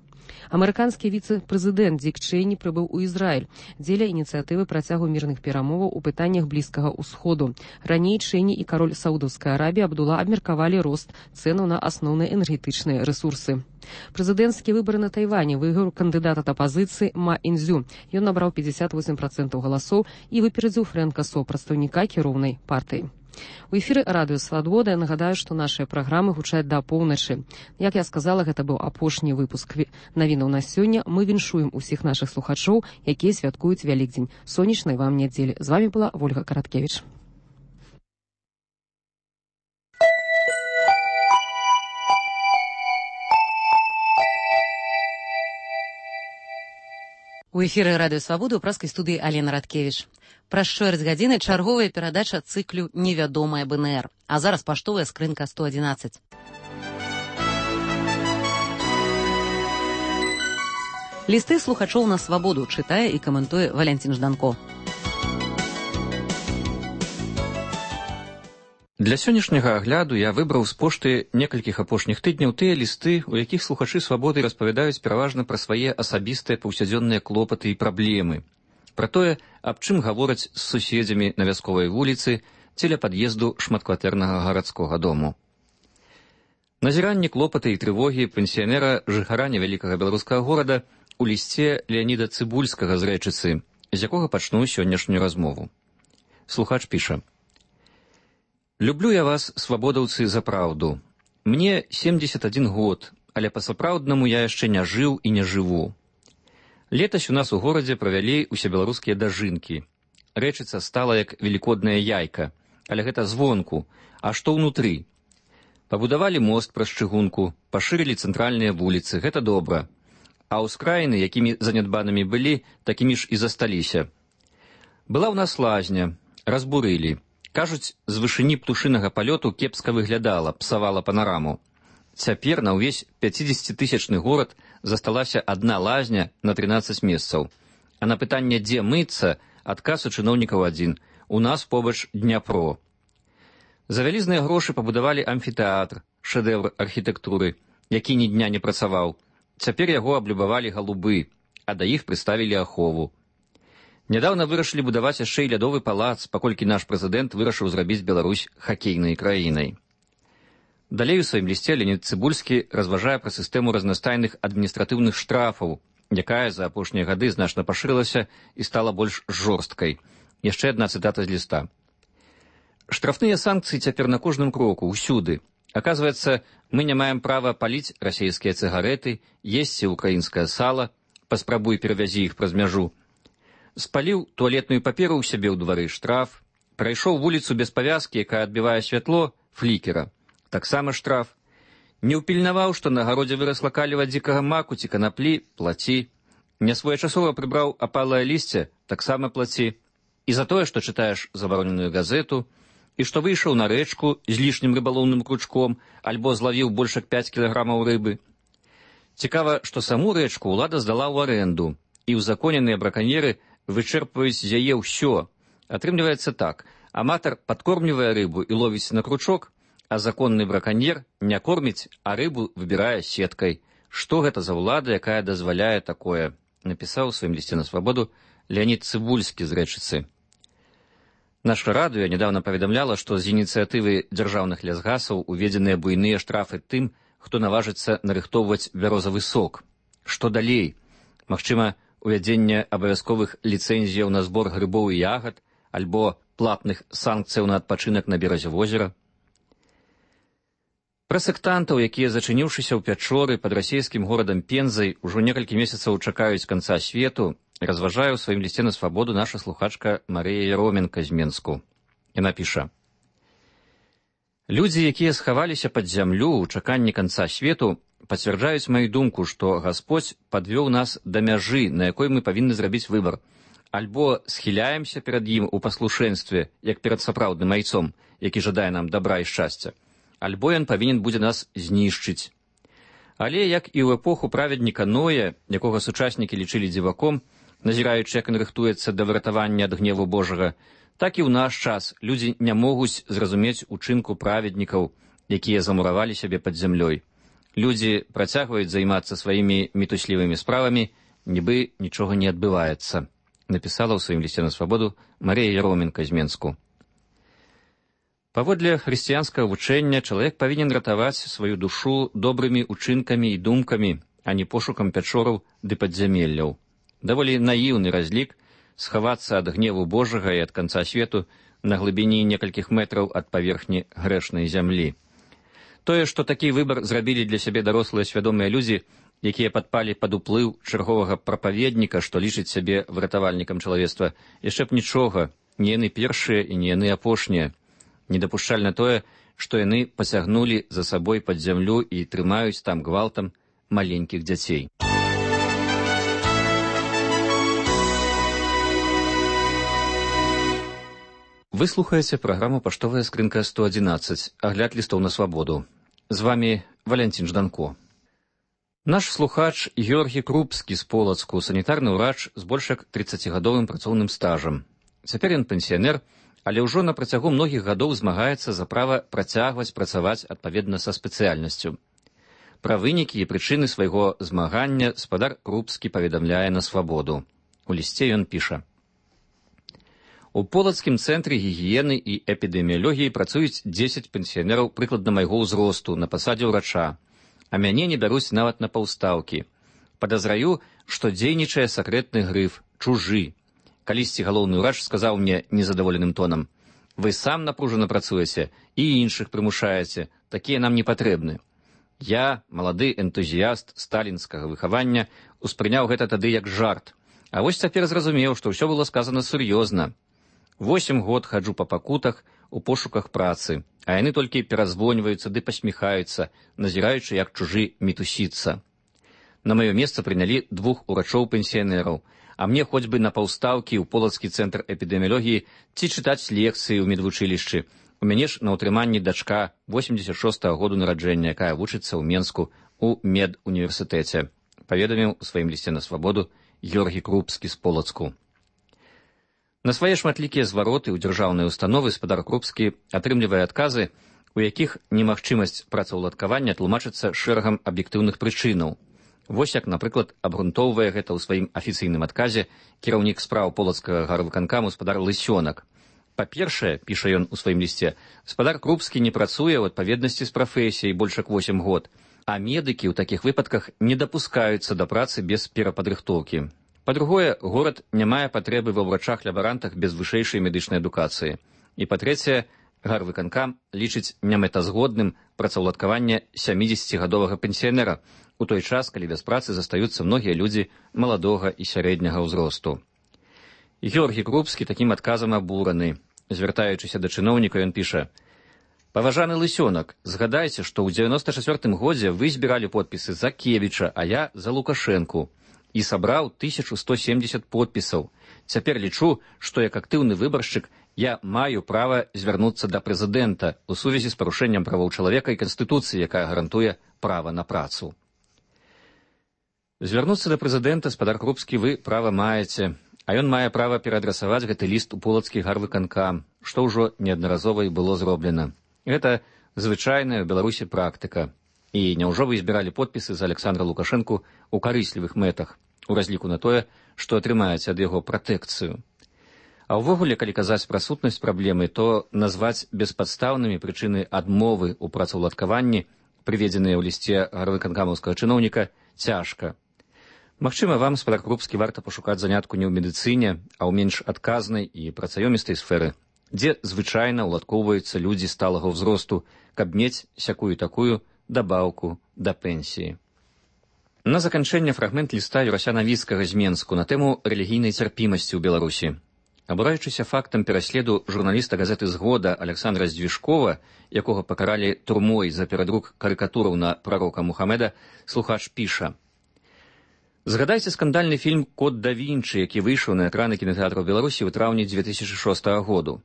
Амерыканскі віцэ-прэзідэнт Дік Чэйні прыбыў у Ізраіль дзеля ініцыятывы працягу мірных перамоваў у пытаннях Блізкага ўсходу. Раней Чэйні і кароль Саудаўскай Арабіі Абдула абмеркавалі рост цэнаў на асноўныя энергетычныя рэсурсы. Прэзідэнцкія выбары на Тайвані выйграў кандыдат ад апазіцыі Ма Інзю. Ён набраў пятьдесят восемь процентов галасоў і выперадзіў Фрэнка Со, прадстаўніка кіроўнай партыі. У эфіры радыё «Свабода» я нагадаю, што нашыя праграмы гучаць да поўначы. Як я сказала, гэта быў апошні выпуск навінаў на сёння. Мы віншуем усіх нашых слухачоў, якія святкуюць Вялікдзень. Сонечнай вам нядзелі. З вамі была Ольга Караткевіч. У эфіры радыё «Свабода» ў праскай студыі Алена Радкевіч. Праз чвэрць гадзіны чарговая перадача цыклю «Невядомая бэ эн эр». А зараз паштовая скрынка сто адзінаццаць. Лісты слухачоў на свабоду чытае і каментуе Валянцін Жданко.
Для сённяшняга агляду я выбраў з пошты некалькіх апошніх тыдняў тыя лісты, у якіх слухачы свабоды распавядаюць пераважна пра свае асабістыя паўсядзённыя клопаты і праблемы. Пра тое, аб чым гавораць з суседзямі на вясковай вуліцы ці ля пад'езду шматкватэрнага гарадскога дому. Назіранне клопаты і трывогі пенсіянера жыхара невялікага беларускага горада у лісце Леаніда Цыбульскага з Рэчыцы, з якога пачну сённяшнюю размову. Слухач піша: «Люблю я вас, свабодаўцы, за праўду. Мне семьдесят один год, але па-сапраўднаму я яшчэ не жыў і не жыву. Летась у нас у горадзе правялі усебеларускія дажынкі. Рэчыца стала як велікодная яйка, але гэта звонку, а што ўнутры? Пабудавалі мост праз чыгунку, пашырылі цэнтральныя вуліцы, гэта добра. А ўскраіны, якімі занядбанымі былі, такімі ж і засталіся. Была ў нас лазня, разбурылі. Кажуць, з вышыні птушынага палёту кепска выглядала, псавала панараму. Цяпер на ўвесь пяцідзесяцітысячны горад засталася адна лазня на трынаццаць месцаў. А на пытанне, дзе мыцца, адказ у чыноўнікаў адзін: у нас побач Дняпро. За вялізныя грошы пабудавалі амфітэатр, шэдэвр архітэктуры, які ні дня не працаваў. Цяпер яго аблюбавалі галубы, а да іх прыставілі ахову. Нядаўна вырашылі будаваць яшчэ і лядовы палац, паколькі наш прэзідэнт вырашыў зрабіць Беларусь хакейнай краінай. Далей у сваім лісце Леонід Цыбульскі разважае пра сістэму разнастайных адміністратыўных штрафаў, якая за апошнія гады значна пашырылася і стала больш жорсткай. Яшчэ адна цытата з ліста. «Штрафныя санкцыі цяпер на кожным кроку, усюды. Аказваецца, мы не маем права паліць расійскія цыгарэты, есці украінскае сала, паспрабуй перавязі іх праз мяжу. Спаліў туалетную паперу ў сябе ў двары — штраф. Прайшоў вуліцу без павязкі, якая адбівае святло — флікера. Таксама штраф. Не ўпільнаваў, што на гародзе вырасла каліва дзікага маку ці канаплі — плаці. Нясвоечасова прыбраў апалае лісце — таксама плаці. І за тое, што чытаеш забароненую газету, і што выйшаў на рэчку з лішнім рыбалоўным кручком альбо злавіў больш як пяць кілаграмаў рыбы. Цікава, што саму рэчку ўлада здала ў арэнду, і ўзаконеныя браканьеры вычэрпваюць з яе ўсё. Атрымліваецца так: аматар падкормлівае рыбу і ловіць на кручок, а законны браканьер не корміць, а рыбу выбірае сеткай. Што гэта за ўлада, якая дазваляе такое?» напісаў у сваім лісце на свабоду Леонід Цыбульскі з Рэчыцы. Наша радыё нядаўна паведамляла, што з ініцыятывы дзяржаўных лясгасаў уведзеныя буйныя штрафы тым, хто наважыцца нарыхтоўваць бярозавы сок. Што далей? Магчыма, увядзенне абавязковых ліцэнзіяў на збор грыбоў і ягад альбо платных санкцыяў на адпачынак на беразе возера? Пра сектантаў, якія, зачыніўшыся ў пячоры пад расійскім горадам Пензай, ужо некалькі месяцаў чакаюць канца свету, разважае ў сваім лісце на свабоду наша слухачка Марыя Яроменка з Менску. Яна піша: «Людзі, якія схаваліся пад зямлю ў чаканні канца свету, пацвярджаюць маю думку, што Гасподзь падвёў нас да мяжы, на якой мы павінны зрабіць выбар. Альбо схіляемся перад ім у паслушэнстве, як перад сапраўдным айцом, які жадае нам дабра і шчасця, альбо ён павінен будзе нас знішчыць. Але, як і ў эпоху праведніка Ноя, якога сучаснікі лічылі дзіваком, назіраючы, як ён рыхтуецца да выратавання ад гневу Божага, так і ў наш час людзі не могуць зразумець учынку праведнікаў, якія замуравалі сябе пад зямлёй. Людзі працягваюць займацца сваімі мітуслівымі справамі, нібы нічога не адбываецца», напісала ў сваім лісце на свабоду Марія Яроменка з Менску. Паводле хрысціянскага вучэння чалавек павінен ратаваць сваю душу добрымі учынкамі і думкамі, а не пошукам пячораў ды падзямелляў. Даволі наіўны разлік схавацца ад гневу Божага і ад канца свету на глыбіні некалькіх метраў ад паверхні грэшнай зямлі. Тое, што такі выбар зрабілі для сябе дарослыя свядомыя людзі, якія падпалі пад уплыў чарговага прапаведніка, што лічыць сябе выратавальнікам чалавецтва, яшчэ б нічога, не яны першыя і не яны апошнія. Недапушчальна тое, што яны пасягнулі за сабой пад зямлю і трымаюць там гвалтам маленькіх дзяцей. Вы слухаеце праграму «Паштовая скрынка сто адзінаццаць», агляд лістоў на свабоду. З вамі Валянцін Жданко. Наш слухач Георгій Крупскі з Полацку, санітарны ўрач з больш як трыццацігадовым працоўным стажам. Цяпер ён пенсіянер, але ўжо на працягу многіх гадоў змагаецца за права працягваць працаваць адпаведна са спецыяльнасцю. Пра вынікі і прычыны свайго змагання спадар Крупскі паведамляе на свабоду. У лісце ён піша: «У Полацкім цэнтры гігіены і эпідэміялогіі працуюць дзесяць пенсіянераў прыкладна майго ўзросту на пасадзе ўрача, а мяне не бяруць нават на паўстаўкі. Падазраю, што дзейнічае сакрэтны грыф, чужы. Калісьці галоўны ўрач сказаў мне незадаволеным тонам: «Вы сам напружана працуеце і іншых прымушаеце, такія нам не патрэбны». Я, малады энтузіяст сталінскага выхавання, успрыняў гэта тады як жарт. А вось цяпер зразумеў, што ўсё было сказана сур'ёзна. Восем год хаджу па пакутах у пошуках працы, а яны толькі перазвоньваюцца ды пасміхаюцца, назіраючы, як чужы мітусіцца. На маё месца прынялі двух урачоў-пенсіянераў, а мне хоць бы на паўстаўкі ў полацкі цэнтр эпідэміялогіі ці чытаць лекцыі ў медвучылішчы. У мяне ж на ўтрыманні дачка восемдзесят шостага году нараджэння, якая вучыцца ў Менску у медуніверсітэце, паведаміў у сваім лісце на свабоду Георгій Крупскі з Полацку. На свае шматлікія звароты ў дзяржаўныя установы спадар Крупскі атрымлівае адказы, у якіх немагчымасць працаўладкавання тлумачыцца шэрагам аб'ектыўных прычынаў. Вось як, напрыклад, абгрунтоўвае гэта ў сваім афіцыйным адказе кіраўнік спраў полацкага гарвыканкаму спадар Лысёнак. Па-першае, піша ён у сваім лісце, спадар Крупскі не працуе ў адпаведнасці з прафесіяй больш як восем год, а медыкі ў такіх выпадках не дапускаюцца да працы без перападрыхтоўкі. Па-другое, горад не мае патрэбы ва ўрачах-лябарантах без вышэйшай медычнай адукацыі. І па-трэцяе, гарвыканкам лічыць немэтазгодным працаўладкаванне сямідзесяцігадовага пенсіянера, у той час, калі без працы застаюцца многія людзі маладога і сярэдняга ўзросту. Георгій Крупскі такім адказам абураны. Звяртаючыся да чыноўніка, ён піша: «Паважаны Лысёнак, згадайце, што ў дзевяноста чацвёртым годзе вы збіралі подпісы за Кевіча, а я за Лукашэнку. І сабраў тысячу сто семдзесят подпісаў. Цяпер лічу, што як актыўны выбаршчык я маю права звярнуцца да прэзідэнта ў сувязі з парушэннем правоў чалавека і Канстытуцыі, якая гарантуе права на працу». Звярнуцца да прэзідэнта, спадар Крупскі, вы права маеце, а ён мае права пераадрасаваць гэты ліст у полацкі гарвыканкам, што ўжо неаднаразова і было зроблена. Гэта звычайная ў Беларусі практыка. І няўжо вы збіралі подпісы за Александра Лукашэнку ў карыслівых мэтах, у разліку на тое, што атрымаеце ад яго пратэкцыю. А ўвогуле, калі казаць пра сутнасць праблемы, то назваць беспадстаўнымі прычыны адмовы ў працаўладкаванні, прыведзеныя ў лісце гарвыканкамаўскага чыноўніка, цяжка. Магчыма, вам, спадар Крупскі, варта пашукаць занятку не ў медыцыне, а ў менш адказнай і працаёмістай сферы, дзе звычайна ўладкоўваюцца людзі сталага ўзросту, каб мець сякую-такую дабаўку да пенсіі. На заканчэнне фрагмент ліста Юрася Навіцкага з Менску на тэму рэлігійнай цярпімасці ў Беларусі. Абураючыся фактам пераследу журналіста газеты «Згода» Александра Здвижкова, якога пакаралі турмой за перадрук карыкатураў на прарока Мухаммеда, слухач піша: «Згадайце скандальны фільм «Код да Вінчы», які выйшаў на экраны кінатэатраў Беларусі ў траўні дзве тысячы шостага году.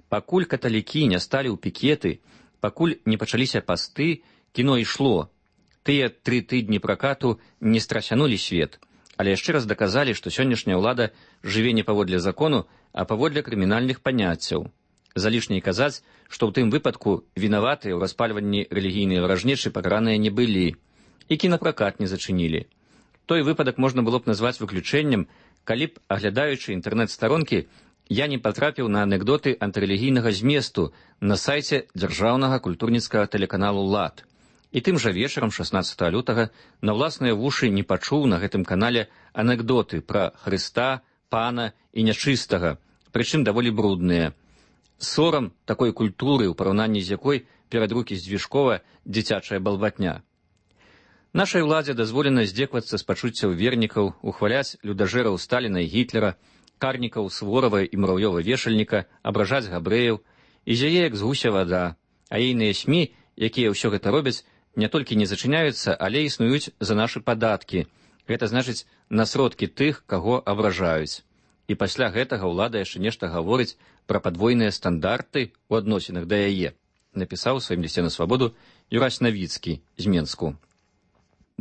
Пакуль каталікі не сталі ў пікеты, пакуль не пачаліся пасты, кіно ішло. Тыя тры тыдні пракату не страсянулі свет, але яшчэ раз даказалі, што сённяшняя ўлада жыве не паводле закону, а паводле крымінальных паняццяў. Залішне казаць, што ў тым выпадку вінаватыя ў распальванні рэлігійнай варажнечы пакараныя не былі, і кінапракат не зачынілі. Той выпадак можна было б назваць выключэннем, калі б, аглядаючы інтэрнэт-старонкі, я не патрапіў на анекдоты антырэлігійнага зместу на сайце дзяржаўнага культурніцкага тэлеканалу «Лад». І тым жа вечарам шаснаццатага лютага на ўласныя вушы не пачуў на гэтым канале анекдоты пра Хрыста, пана і нячыстага, прычым даволі брудныя. Сорам такой культуры, у параўнанні з якой перадрукі Здвижкова дзіцячая балбатня. Нашай уладзе дазволена здзеквацца з пачуццяў вернікаў, ухваляць людажэраў Сталіна і Гітлера, карнікаў Суворава і Мурав'ёва-вешальніка, абражаць габрэяў, і зяе як з гуся вада, а ейныя СМІ, якія ўсё гэта робяць, не толькі не зачыняюцца, але існуюць за нашы падаткі. Гэта значыць на сродкі тых, каго абражаюць. І пасля гэтага ўлада яшчэ нешта гаворыць пра падвойныя стандарты ў адносінах да яе, напісаў у сваім лісце на свабоду Юрась Навіцкі з Менску.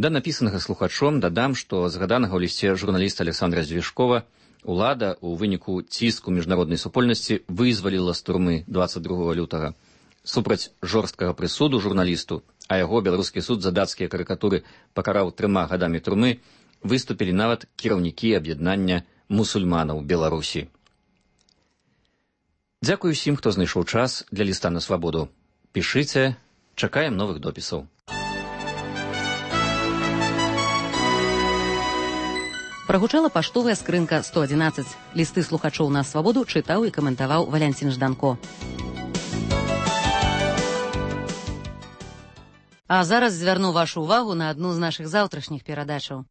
Да напісанага слухачом дадам, што згаданага ў лісце журналіста Александра Здвижкова улада ў выніку ціску міжнароднай супольнасці вызваліла з турмы дваццаць другога лютага. Супраць жорсткага прысуду журналісту, а яго беларускі суд за дацкія карыкатуры пакараў трыма гадамі турмы, выступілі нават кіраўнікі аб'яднання мусульманаў Беларусі. Дзякую усім, хто знайшоў час для ліста на свабоду. Пішыце, чакаем новых допісаў.
Прагучала паштовая скрынка сто адзінаццаць. Лісты слухачоў на свабоду чытаў і каментаваў Валянцін Жданко. А зараз звярну вашу ўвагу на адну з нашых заўтрашніх перадачаў.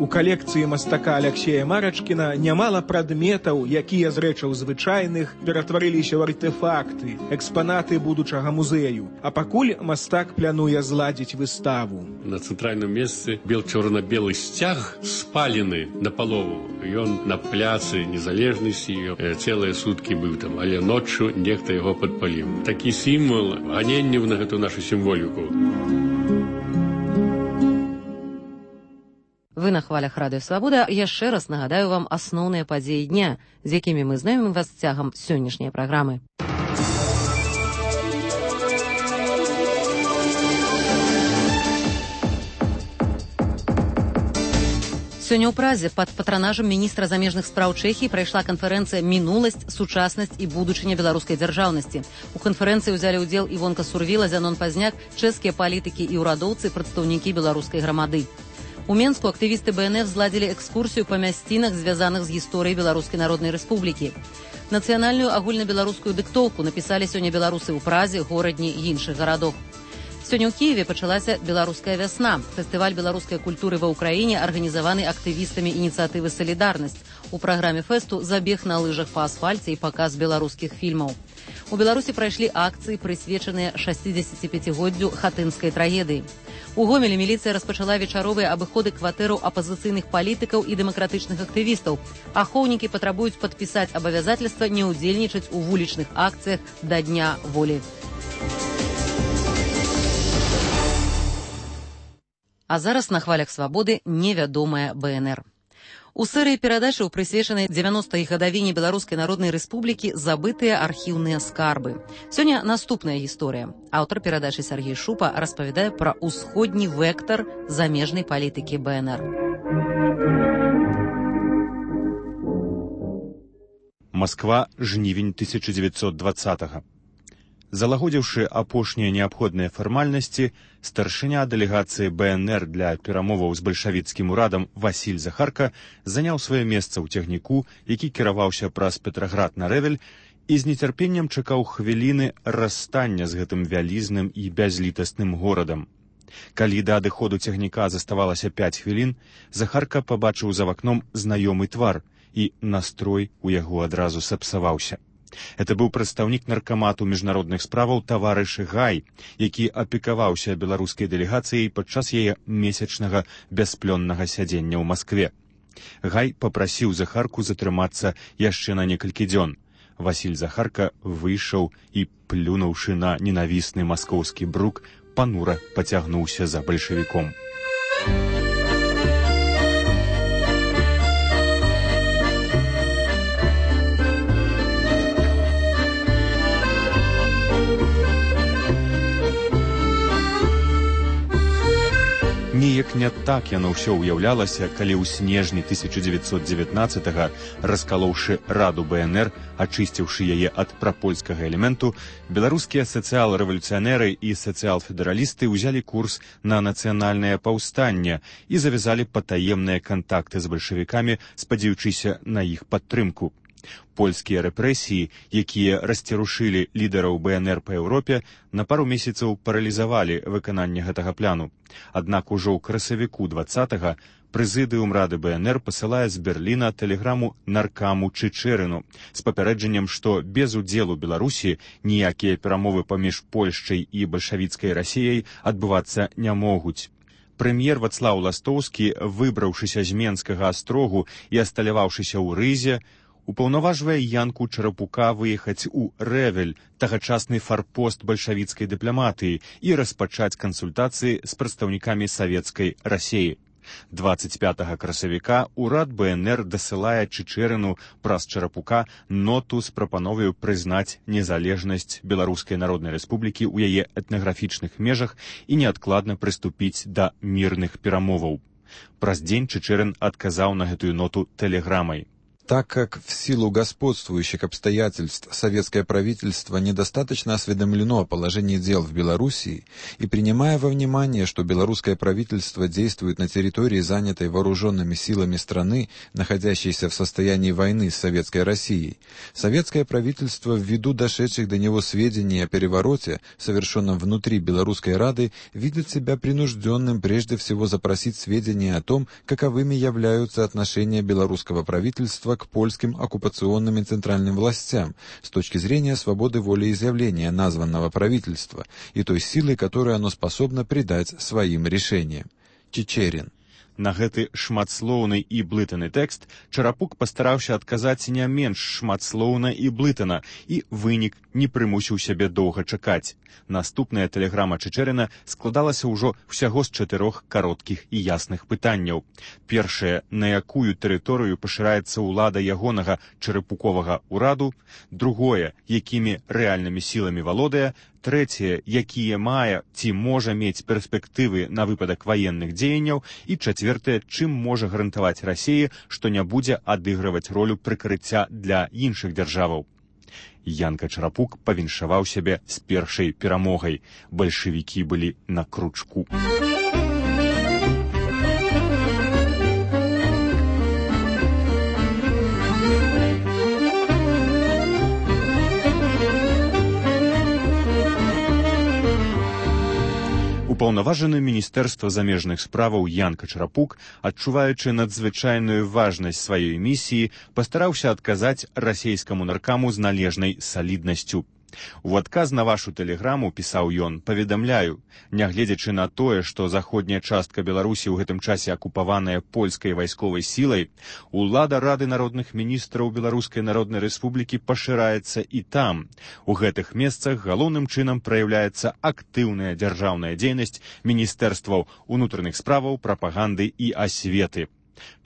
У калекцыі мастака Аляксея Марачкіна нямала прадметаў, якія з рэчаў звычайных ператварыліся ў артэфакты, экспанаты будучага музею. А пакуль мастак плануе зладзіць выставу.
На цэнтральным месцы бел чорна-белы сцяг спалены напалову. Ён на пляцы Незалежнасці цэлыя суткі быў там, але ноччу нехта яго падпаліў. Такі сімвал ганенняў на гэту нашу сімволіку.
Вы на хвалях Радыё Свабода. Яшчэ раз нагадаю вам асноўныя падзеі дня, з якімі мы знаёмім вас цягам сённяшняй праграмы. Сёння ў Празе пад патранажам міністра замежных спраў Чэхіі прайшла канферэнцыя «Мінуласць, сучаснасць і будучыня беларускай дзяржаўнасці». У канферэнцыі ўзялі ўдзел Івонка Сурвіла, Зянон Пазняк, чэшскія палітыкі і ўрадоўцы, прадстаўнікі беларускай грамады. У Менску актывісты Бэ Эн Эф зладзілі экскурсію па мясцінах, звязаных з гісторыяй Беларускай Народнай Рэспублікі. Нацыянальную агульнабеларускую дыктоўку напісалі сёння беларусы ў Празе, горадні і іншых гарадах. Сёння ў Кіеве пачалася беларуская вясна. Фестываль беларускай культуры ва ўкраіне арганізаваны актывістамі ініцыятывы «Салідарнасць». У праграме фэсту забег на лыжах па асфальце і паказ беларускіх фільмаў. У Беларусі прайшлі акцыі, прысвечаныя шасцідзесяціпяцігоддзю хатынскай трагедыі. У Гомелі міліцыя распачала вечаровыя абыходы кватэраў апазіцыйных палітыкаў і дэмакратычных актывістаў. Ахоўнікі патрабуюць падпісаць абавязательства не ўдзельнічаць у вулічных акцыях да Дня волі. А зараз на хвалях свабоды невядомая Бэ Эн Эр. У серыі перадачаў, прысвечанай дзевяностай гадавіне Беларускай Народнай Рэспублікі, забытыя архіўныя скарбы. Сёння наступная гісторыя. Аўтар перадачы Сергей Шупа распавядае пра усходні вектар замежнай палітыкі Бэ Эн Эр.
Масква, жнівень тысяча дзевяцьсот дваццатага. Залагодзіўшы апошнія неабходныя фармальнасці, старшыня дэлегацыі Бэ Эн Эр для перамоваў з бальшавіцкім урадам Васіль Захарка заняў сваё месца ў цягніку, які кіраваўся праз Петраград на Рэвель, і з нецярпеннем чакаў хвіліны расстання з гэтым вялізным і бязлітасным горадам. Калі да адыходу цягніка заставалася пяць хвілін, Захарка пабачыў за вакном знаёмы твар, і настрой у яго адразу сапсаваўся. Это быў прадстаўнік наркамату міжнародных справаў таварыш Гай, які апекаваўся беларускай дэлегацыяй падчас яе месячнага бясплённага сядзення ў Маскве. Гай папрасіў Захарку затрымацца яшчэ на некалькі дзён. Васіль Захарка выйшаў і, плюнуўшы на ненавісны маскоўскі брук, панура пацягнуўся за бальшавіком. Неяк не так яно ўсё ўяўлялася, калі ў снежні тысяча дзевяцьсот дзевятнаццатага, раскалоўшы Раду Бэ Эн Эр, ачысціўшы яе ад прапольскага элементу, беларускія сацыял-рэвалюцыянеры і сацыял-федэралісты ўзялі курс на нацыянальнае паўстанне і завязалі патаемныя кантакты з бальшавікамі, спадзеючыся на іх падтрымку. Польскія рэпрэсіі, якія расцярушылі лідараў Бэ Эн Эр па Еўропе, на пару месяцаў паралізавалі выкананне гэтага пляну. Аднак ужо ў красавіку дваццатага прэзідыум Рады Бэ Эн Эр пасылае з Берліна тэлеграму наркаму Чычэрыну з папярэджаннем, што без удзелу Беларусі ніякія перамовы паміж Польшчай і бальшавіцкай Расіяй адбывацца не могуць. Прэм'ер Вацлаў Ластоўскі, выбраўшыся з Менскага астрогу і асталяваўшыся ў Рызе, упаўнаважвае Янку Чарапука выехаць у Рэвель, тагачасны фарпост бальшавіцкай дыпламатыі, і распачаць кансультацыі з прадстаўнікамі савецкай Расіі. дваццаць пятага красавіка урад Бэ Эн Эр дасылае Чычэрыну праз Чарапука ноту з прапановаю прызнаць незалежнасць Беларускай Народнай Рэспублікі ў яе этнаграфічных межах і неадкладна прыступіць да мірных перамоваў. Праз дзень Чычэрын адказаў на гэтую ноту тэлеграмай.
Так как в силу господствующих обстоятельств советское правительство недостаточно осведомлено о положении дел в Белоруссии, и принимая во внимание, что белорусское правительство действует на территории, занятой вооруженными силами страны, находящейся в состоянии войны с Советской Россией, советское правительство, ввиду дошедших до него сведений о перевороте, совершенном внутри Белорусской Рады, видит себя принужденным прежде всего запросить сведения о том, каковыми являются отношения белорусского правительства к польским оккупационным и центральным властям с точки зрения свободы волеизъявления названного правительства и той силы, которую оно способно придать своим решениям. Чичерин.
На гэты шматслоўны і блытаны тэкст Чарапук пастараўся адказаць не менш шматслоўна і блытана, і вынік не прымусіў сябе доўга чакаць. Наступная тэлеграма Чичерина складалася ўжо ўсяго з чатырох кароткіх і ясных пытанняў. Першае, на якую тэрыторыю пашыраецца ўлада ягонага чарапуковага ўраду, другое, якімі рэальнымі сіламі валодае, трэцяе, якія мае ці можа мець перспектывы на выпадак ваенных дзеянняў, і чацвёртае, чым можа гарантаваць Расіі, што не будзе адыгрываць ролю прыкрыцця для іншых дзяржаваў. Янка Чарапук павіншаваў сябе з першай перамогай. Бальшавікі былі на кручку. Упаўнаважаны міністэрства замежных справаў Янка Чарапук, адчуваючы надзвычайную важнасць сваёй місіі, пастараўся адказаць расейскаму наркаму з належнай саліднасцю. У адказ на вашу тэлеграму, пісаў ён, паведамляю, нягледзячы на тое, што заходняя частка Беларусі ў гэтым часе акупаваная польскай вайсковай сілай, улада Рады народных міністраў Беларускай народнай рэспублікі пашыраецца і там. У гэтых месцах галоўным чынам праяўляецца актыўная дзяржаўная дзейнасць міністэрстваў унутраных справаў, прапаганды і асветы.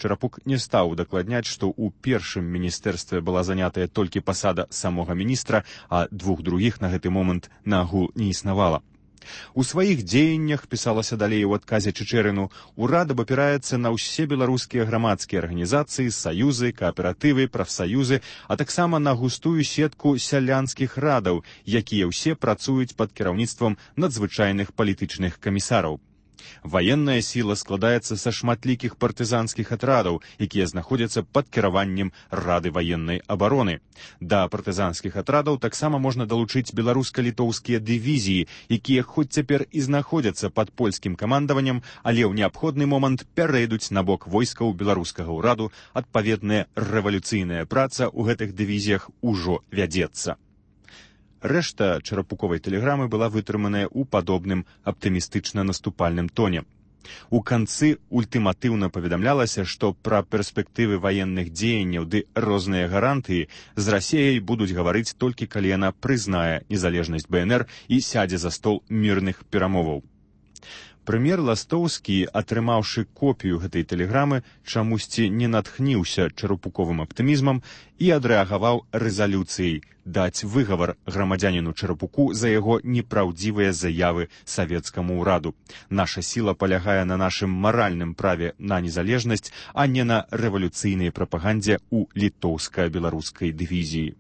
Чарапук не стаў удакладняць, што ў першым міністэрстве была занятая толькі пасада самога міністра, а двух другіх на гэты момант нагул не існавала. У сваіх дзеяннях, пісалася далей у адказе Чичерину, урад абапіраецца на ўсе беларускія грамадскія арганізацыі, саюзы, кааператывы, прафсаюзы, а таксама на густую сетку сялянскіх радаў, якія ўсе працуюць пад кіраўніцтвам надзвычайных палітычных камісараў. Ваенная сіла складаецца са шматлікіх партызанскіх атрадаў, якія знаходзяцца пад кіраваннем Рады ваеннай абароны. Да партызанскіх атрадаў таксама можна далучыць беларуска-літоўскія дывізіі, якія хоць цяпер і знаходзяцца пад польскім камандаваннем, але ў неабходны момант пярэйдуць на бок войскаў беларускага ўраду. Адпаведная рэвалюцыйная праца ў гэтых дывізіях ужо вядзецца. Рэшта чарапуковай тэлеграмы была вытрыманая ў падобным аптымістычна-наступальным тоне. У канцы ультыматыўна паведамлялася, што пра перспектывы ваенных дзеянняў ды розныя гарантыі з Расіяй будуць гаварыць толькі калі яна прызнае незалежнасць бэ эн эр і сядзе за стол мірных перамоваў. Прэм'ер Ластоўскі, атрымаўшы копію гэтай тэлеграмы, чамусьці не натхніўся чарапуковым аптымізмам і адрэагаваў рэзалюцыяй даць выгавар грамадзяніну Чарапуку за яго непраўдзівыя заявы савецкаму ўраду. Наша сіла палягае на нашым маральным праве на незалежнасць, а не на рэвалюцыйнай прапагандзе ў літоўска-беларускай дывізіі.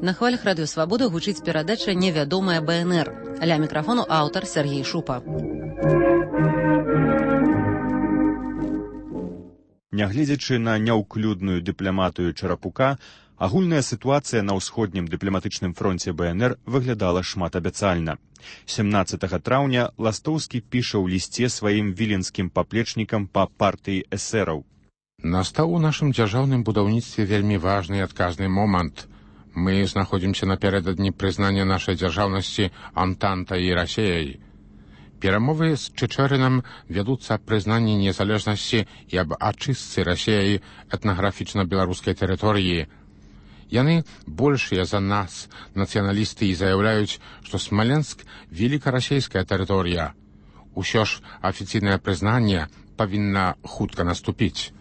На хвалях радыё «Свабода» гучыць перадача «Невядомая бэ эн эр». Ля мікрафону аўтар Сергей Шупа.
Нягледзячы на няўклюдную дыпламатыю Чарапука, агульная сітуацыя на ўсходнім дыпламатычным фронце бэ эн эр выглядала шматабяцальна. сямнаццатага траўня Ластоўскі піша ў лісце сваім віленскім паплечнікам па партыі эсэраў.
Настаў у нашым дзяржаўным будаўніцтве вельмі важны і адказны момант. Мы знаходзімся напярэдадні прызнання нашай дзяржаўнасці Антантай і Расіяй. Перамовы з Чичеринам вядуцца аб прызнанні незалежнасці і аб ачыстцы Расіяй этнаграфічна-беларускай тэрыторыі. Яны большыя за нас, нацыяналісты, і заяўляюць, што Смаленск – велікарасійская тэрыторыя. Усё ж афіцыйнае прызнанне павінна хутка наступіць.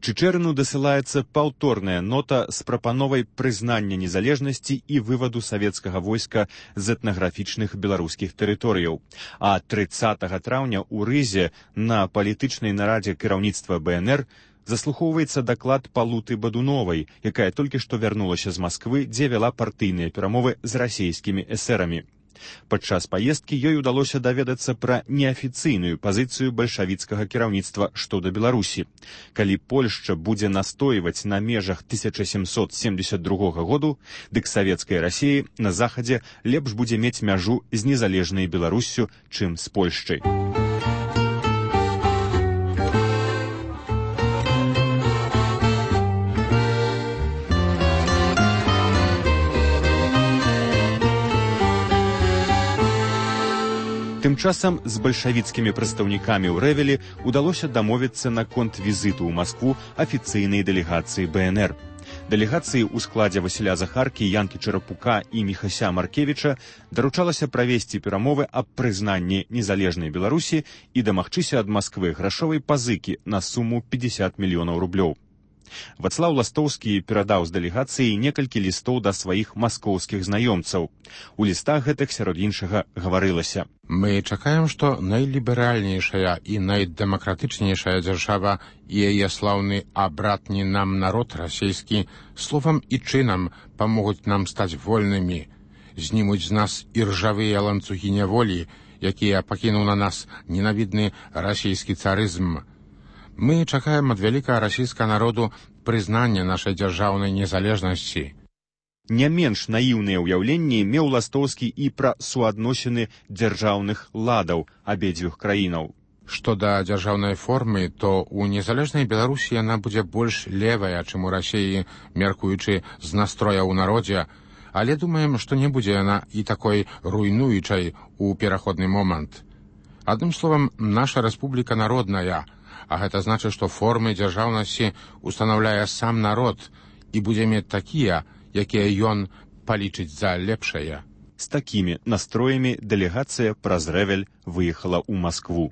Чичерыну дасылаецца паўторная нота з прапановай прызнання незалежнасці і вываду савецкага войска з этнаграфічных беларускіх тэрыторыяў. А трыццатага траўня ў Рызе на палітычнай нарадзе кіраўніцтва БНР заслухоўваецца даклад Палуты Бадуновай, якая толькі што вярнулася з Масквы, дзе вяла партыйныя перамовы з расейскімі эсэрамі. Падчас паездкі ёй удалося даведацца пра неафіцыйную пазіцыю бальшавіцкага кіраўніцтва што да Беларусі. Калі Польшча будзе настойваць на межах тысяча сямсот семдзесят другога году, дык савецкай Расіі на захадзе лепш будзе мець мяжу з незалежнай Беларуссю, чым з Польшчай. Тым часам з бальшавіцкімі прадстаўнікамі ў Рэвелі удалося дамовіцца наконт візіту ў Маскву афіцыйнай дэлегацыі БНР. Дэлегацыі ў складзе Васіля Захаркі, Янкі Чарапука і Міхася Маркевіча даручалася правесці перамовы аб прызнанні незалежнай Беларусі і дамагчыся ад Масквы грашовай пазыкі на суму пятьдесят мільёнаў рублёў. Вацлаў Ластоўскі перадаў з дэлегацыі некалькі лістоў да сваіх маскоўскіх знаёмцаў. У лістах гэтых сярод іншага гаварылася:
Мы чакаем, што найліберальнейшая і найдэмакратычнейшая дзяржава і яе слаўны абратні нам народ расійскі словам і чынам памогуць нам стаць вольнымі, знімуць з нас іржавыя ланцугі няволі, якія пакінуў на нас ненавідны расійскі царызм. Мы чакаем ад вялікага расійскага народу прызнання нашай дзяржаўнай незалежнасці.
Не менш наіўныя ўяўленні меў Ластоўскі і пра суадносіны дзяржаўных ладаў абедзвюх краінаў.
Што да дзяржаўнай формы, то ў незалежнай Беларусі яна будзе больш левая, чым у Расіі, мяркуючы з настроя ў народзе, але думаем, што не будзе яна і такой руйнуючай у пераходны момант. Адным словам, наша рэспубліка народная, а гэта значыць, што формы дзяржаўнасці устанаўляе сам народ і будзе мець такія, якія ён палічыць за лепшае.
З такімі настроямі дэлегацыя праз Рэвель выехала ў Маскву.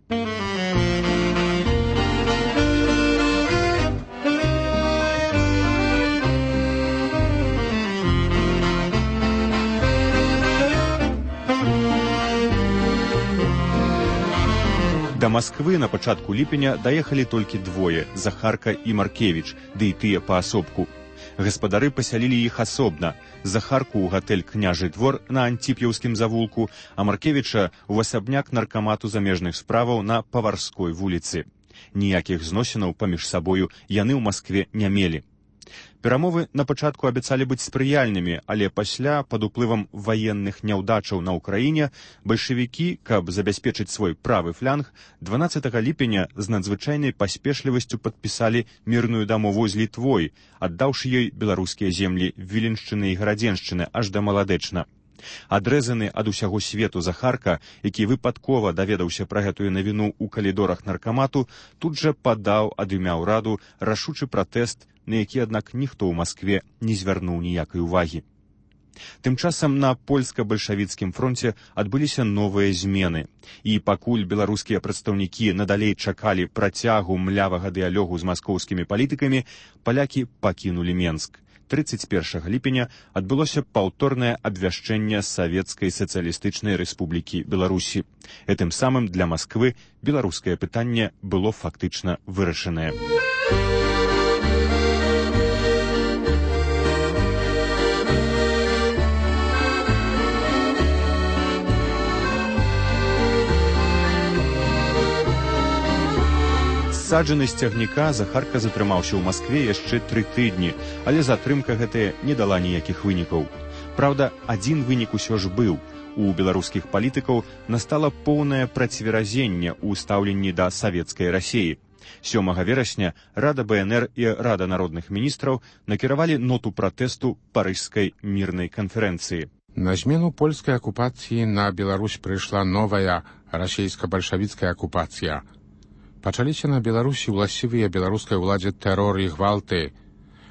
Да Масквы на пачатку ліпеня даехалі толькі двое – Захарка і Маркевіч, ды і тыя паасобку. Гаспадары пасялілі іх асобна. Захарку ў гатэль «Княжы двор» на Антіп'яўскім завулку, а Маркевіча ў асабняк наркамату замежных справаў на Паварской вуліцы. Ніякіх зносінаў паміж сабою яны ў Маскве не мелі. Перамовы на пачатку абяцалі быць спрыяльнымі, але пасля, пад уплывам ваенных няўдачаў на ўкраіне, бальшавікі, каб забяспечыць свой правы фланг, дванаццатага ліпеня з надзвычайнай паспешлівасцю падпісалі мірную дамову з Літвой, аддаўшы ёй беларускія землі Віленшчыны і Гарадзеншчыны аж да Маладэчна. Адрэзаны ад усяго свету Захарка, які выпадкова даведаўся пра гэтую навіну ў калідорах наркамату, тут жа падаў ад імя ўраду рашучы пратэст, на які, аднак, ніхто ў Маскве не звярнуў ніякай увагі. Тым часам на польска-бальшавіцкім фронце адбыліся новыя змены. І пакуль беларускія прадстаўнікі надалей чакалі працягу млявага дыялогу з маскоўскімі палітыкамі, палякі пакінулі Менск. трыццаць першага ліпеня адбылося паўторнае абвяшчэнне Савецкай сацыялістычнай рэспублікі Беларусі. Гэтым самым для Масквы беларускае пытанне было фактычна вырашанае. Саджаны з цягніка Захарка затрымаўся ў Маскве яшчэ тры тыдні, але затрымка гэтая не дала ніякіх вынікаў. Праўда, адзін вынік усё ж быў. У беларускіх палітыкаў настала поўнае працверазенне ў стаўленні да савецкай Расіі. сёмага верасня Рада БНР і Рада народных міністраў накіравалі ноту пратэсту Парыжскай мірнай канферэнцыі.
На змену польскай акупацыі на Беларусь прыйшла новая расійска-бальшавіцкая акупацыя. Пачаліся на Беларусі ўласцівыя беларускай уладзе тэрор і гвалты.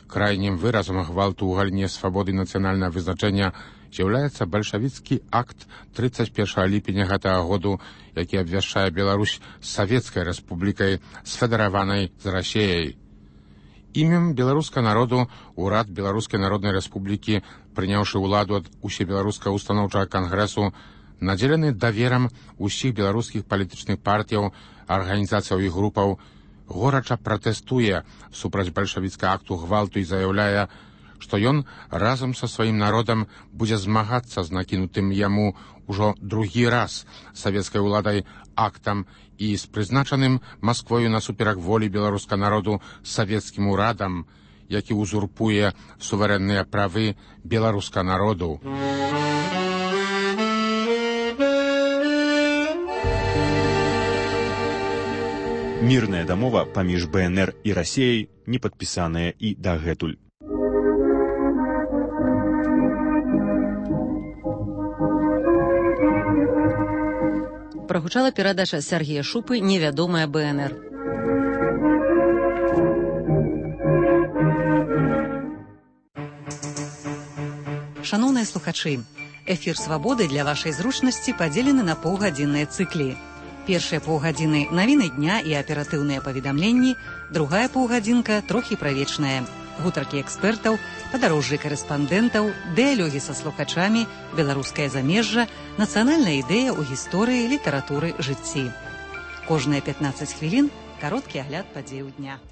Крайнім выразам гвалту ў галіне свабоды нацыянальнага вызначэння з'яўляецца бальшавіцкі акт трыццаць першага ліпеня гэтага году, які абвяшчае Беларусь савецкай рэспублікай сфедараванай з Расіяй. Імем беларускага народу урад Беларускай Народнай Рэспублікі, прыняўшы ўладу ад усебеларускага устаноўчага кангрэсу, надзелены даверам усіх беларускіх палітычных партыяў, арганізацыяў і групаў, горача пратэстуе супраць бальшавіцкага акту гвалту і заяўляе, што ён разам са сваім народам будзе змагацца з накінутым яму ўжо другі раз савецкай уладай актам і з прызначаным Масквою насуперак волі беларускага народу савецкім урадам, які узурпуе суверэнныя правы беларускага народу.
Мірная дамова паміж БНР і Расіяй не падпісаная і дагэтуль.
Прагучала перадача Сергея Шупы «Невядомая БНР». Шановныя слухачы, эфір «Свабоды» для вашай зручнасці падзелены на паўгадзінныя цыклі. Першыя паўгадзіны навіны дня і аператыўныя паведамленні, другая паўгадзінка трохі правечная. Гутаркі экспертаў, падарожжы карэспандэнтаў, дыялогі са слухачамі, беларускае замежжа, нацыянальная ідэя ў гісторыі, літаратуры, жыцці. Кожныя пятнаццаць хвілін кароткі агляд падзеяў дня.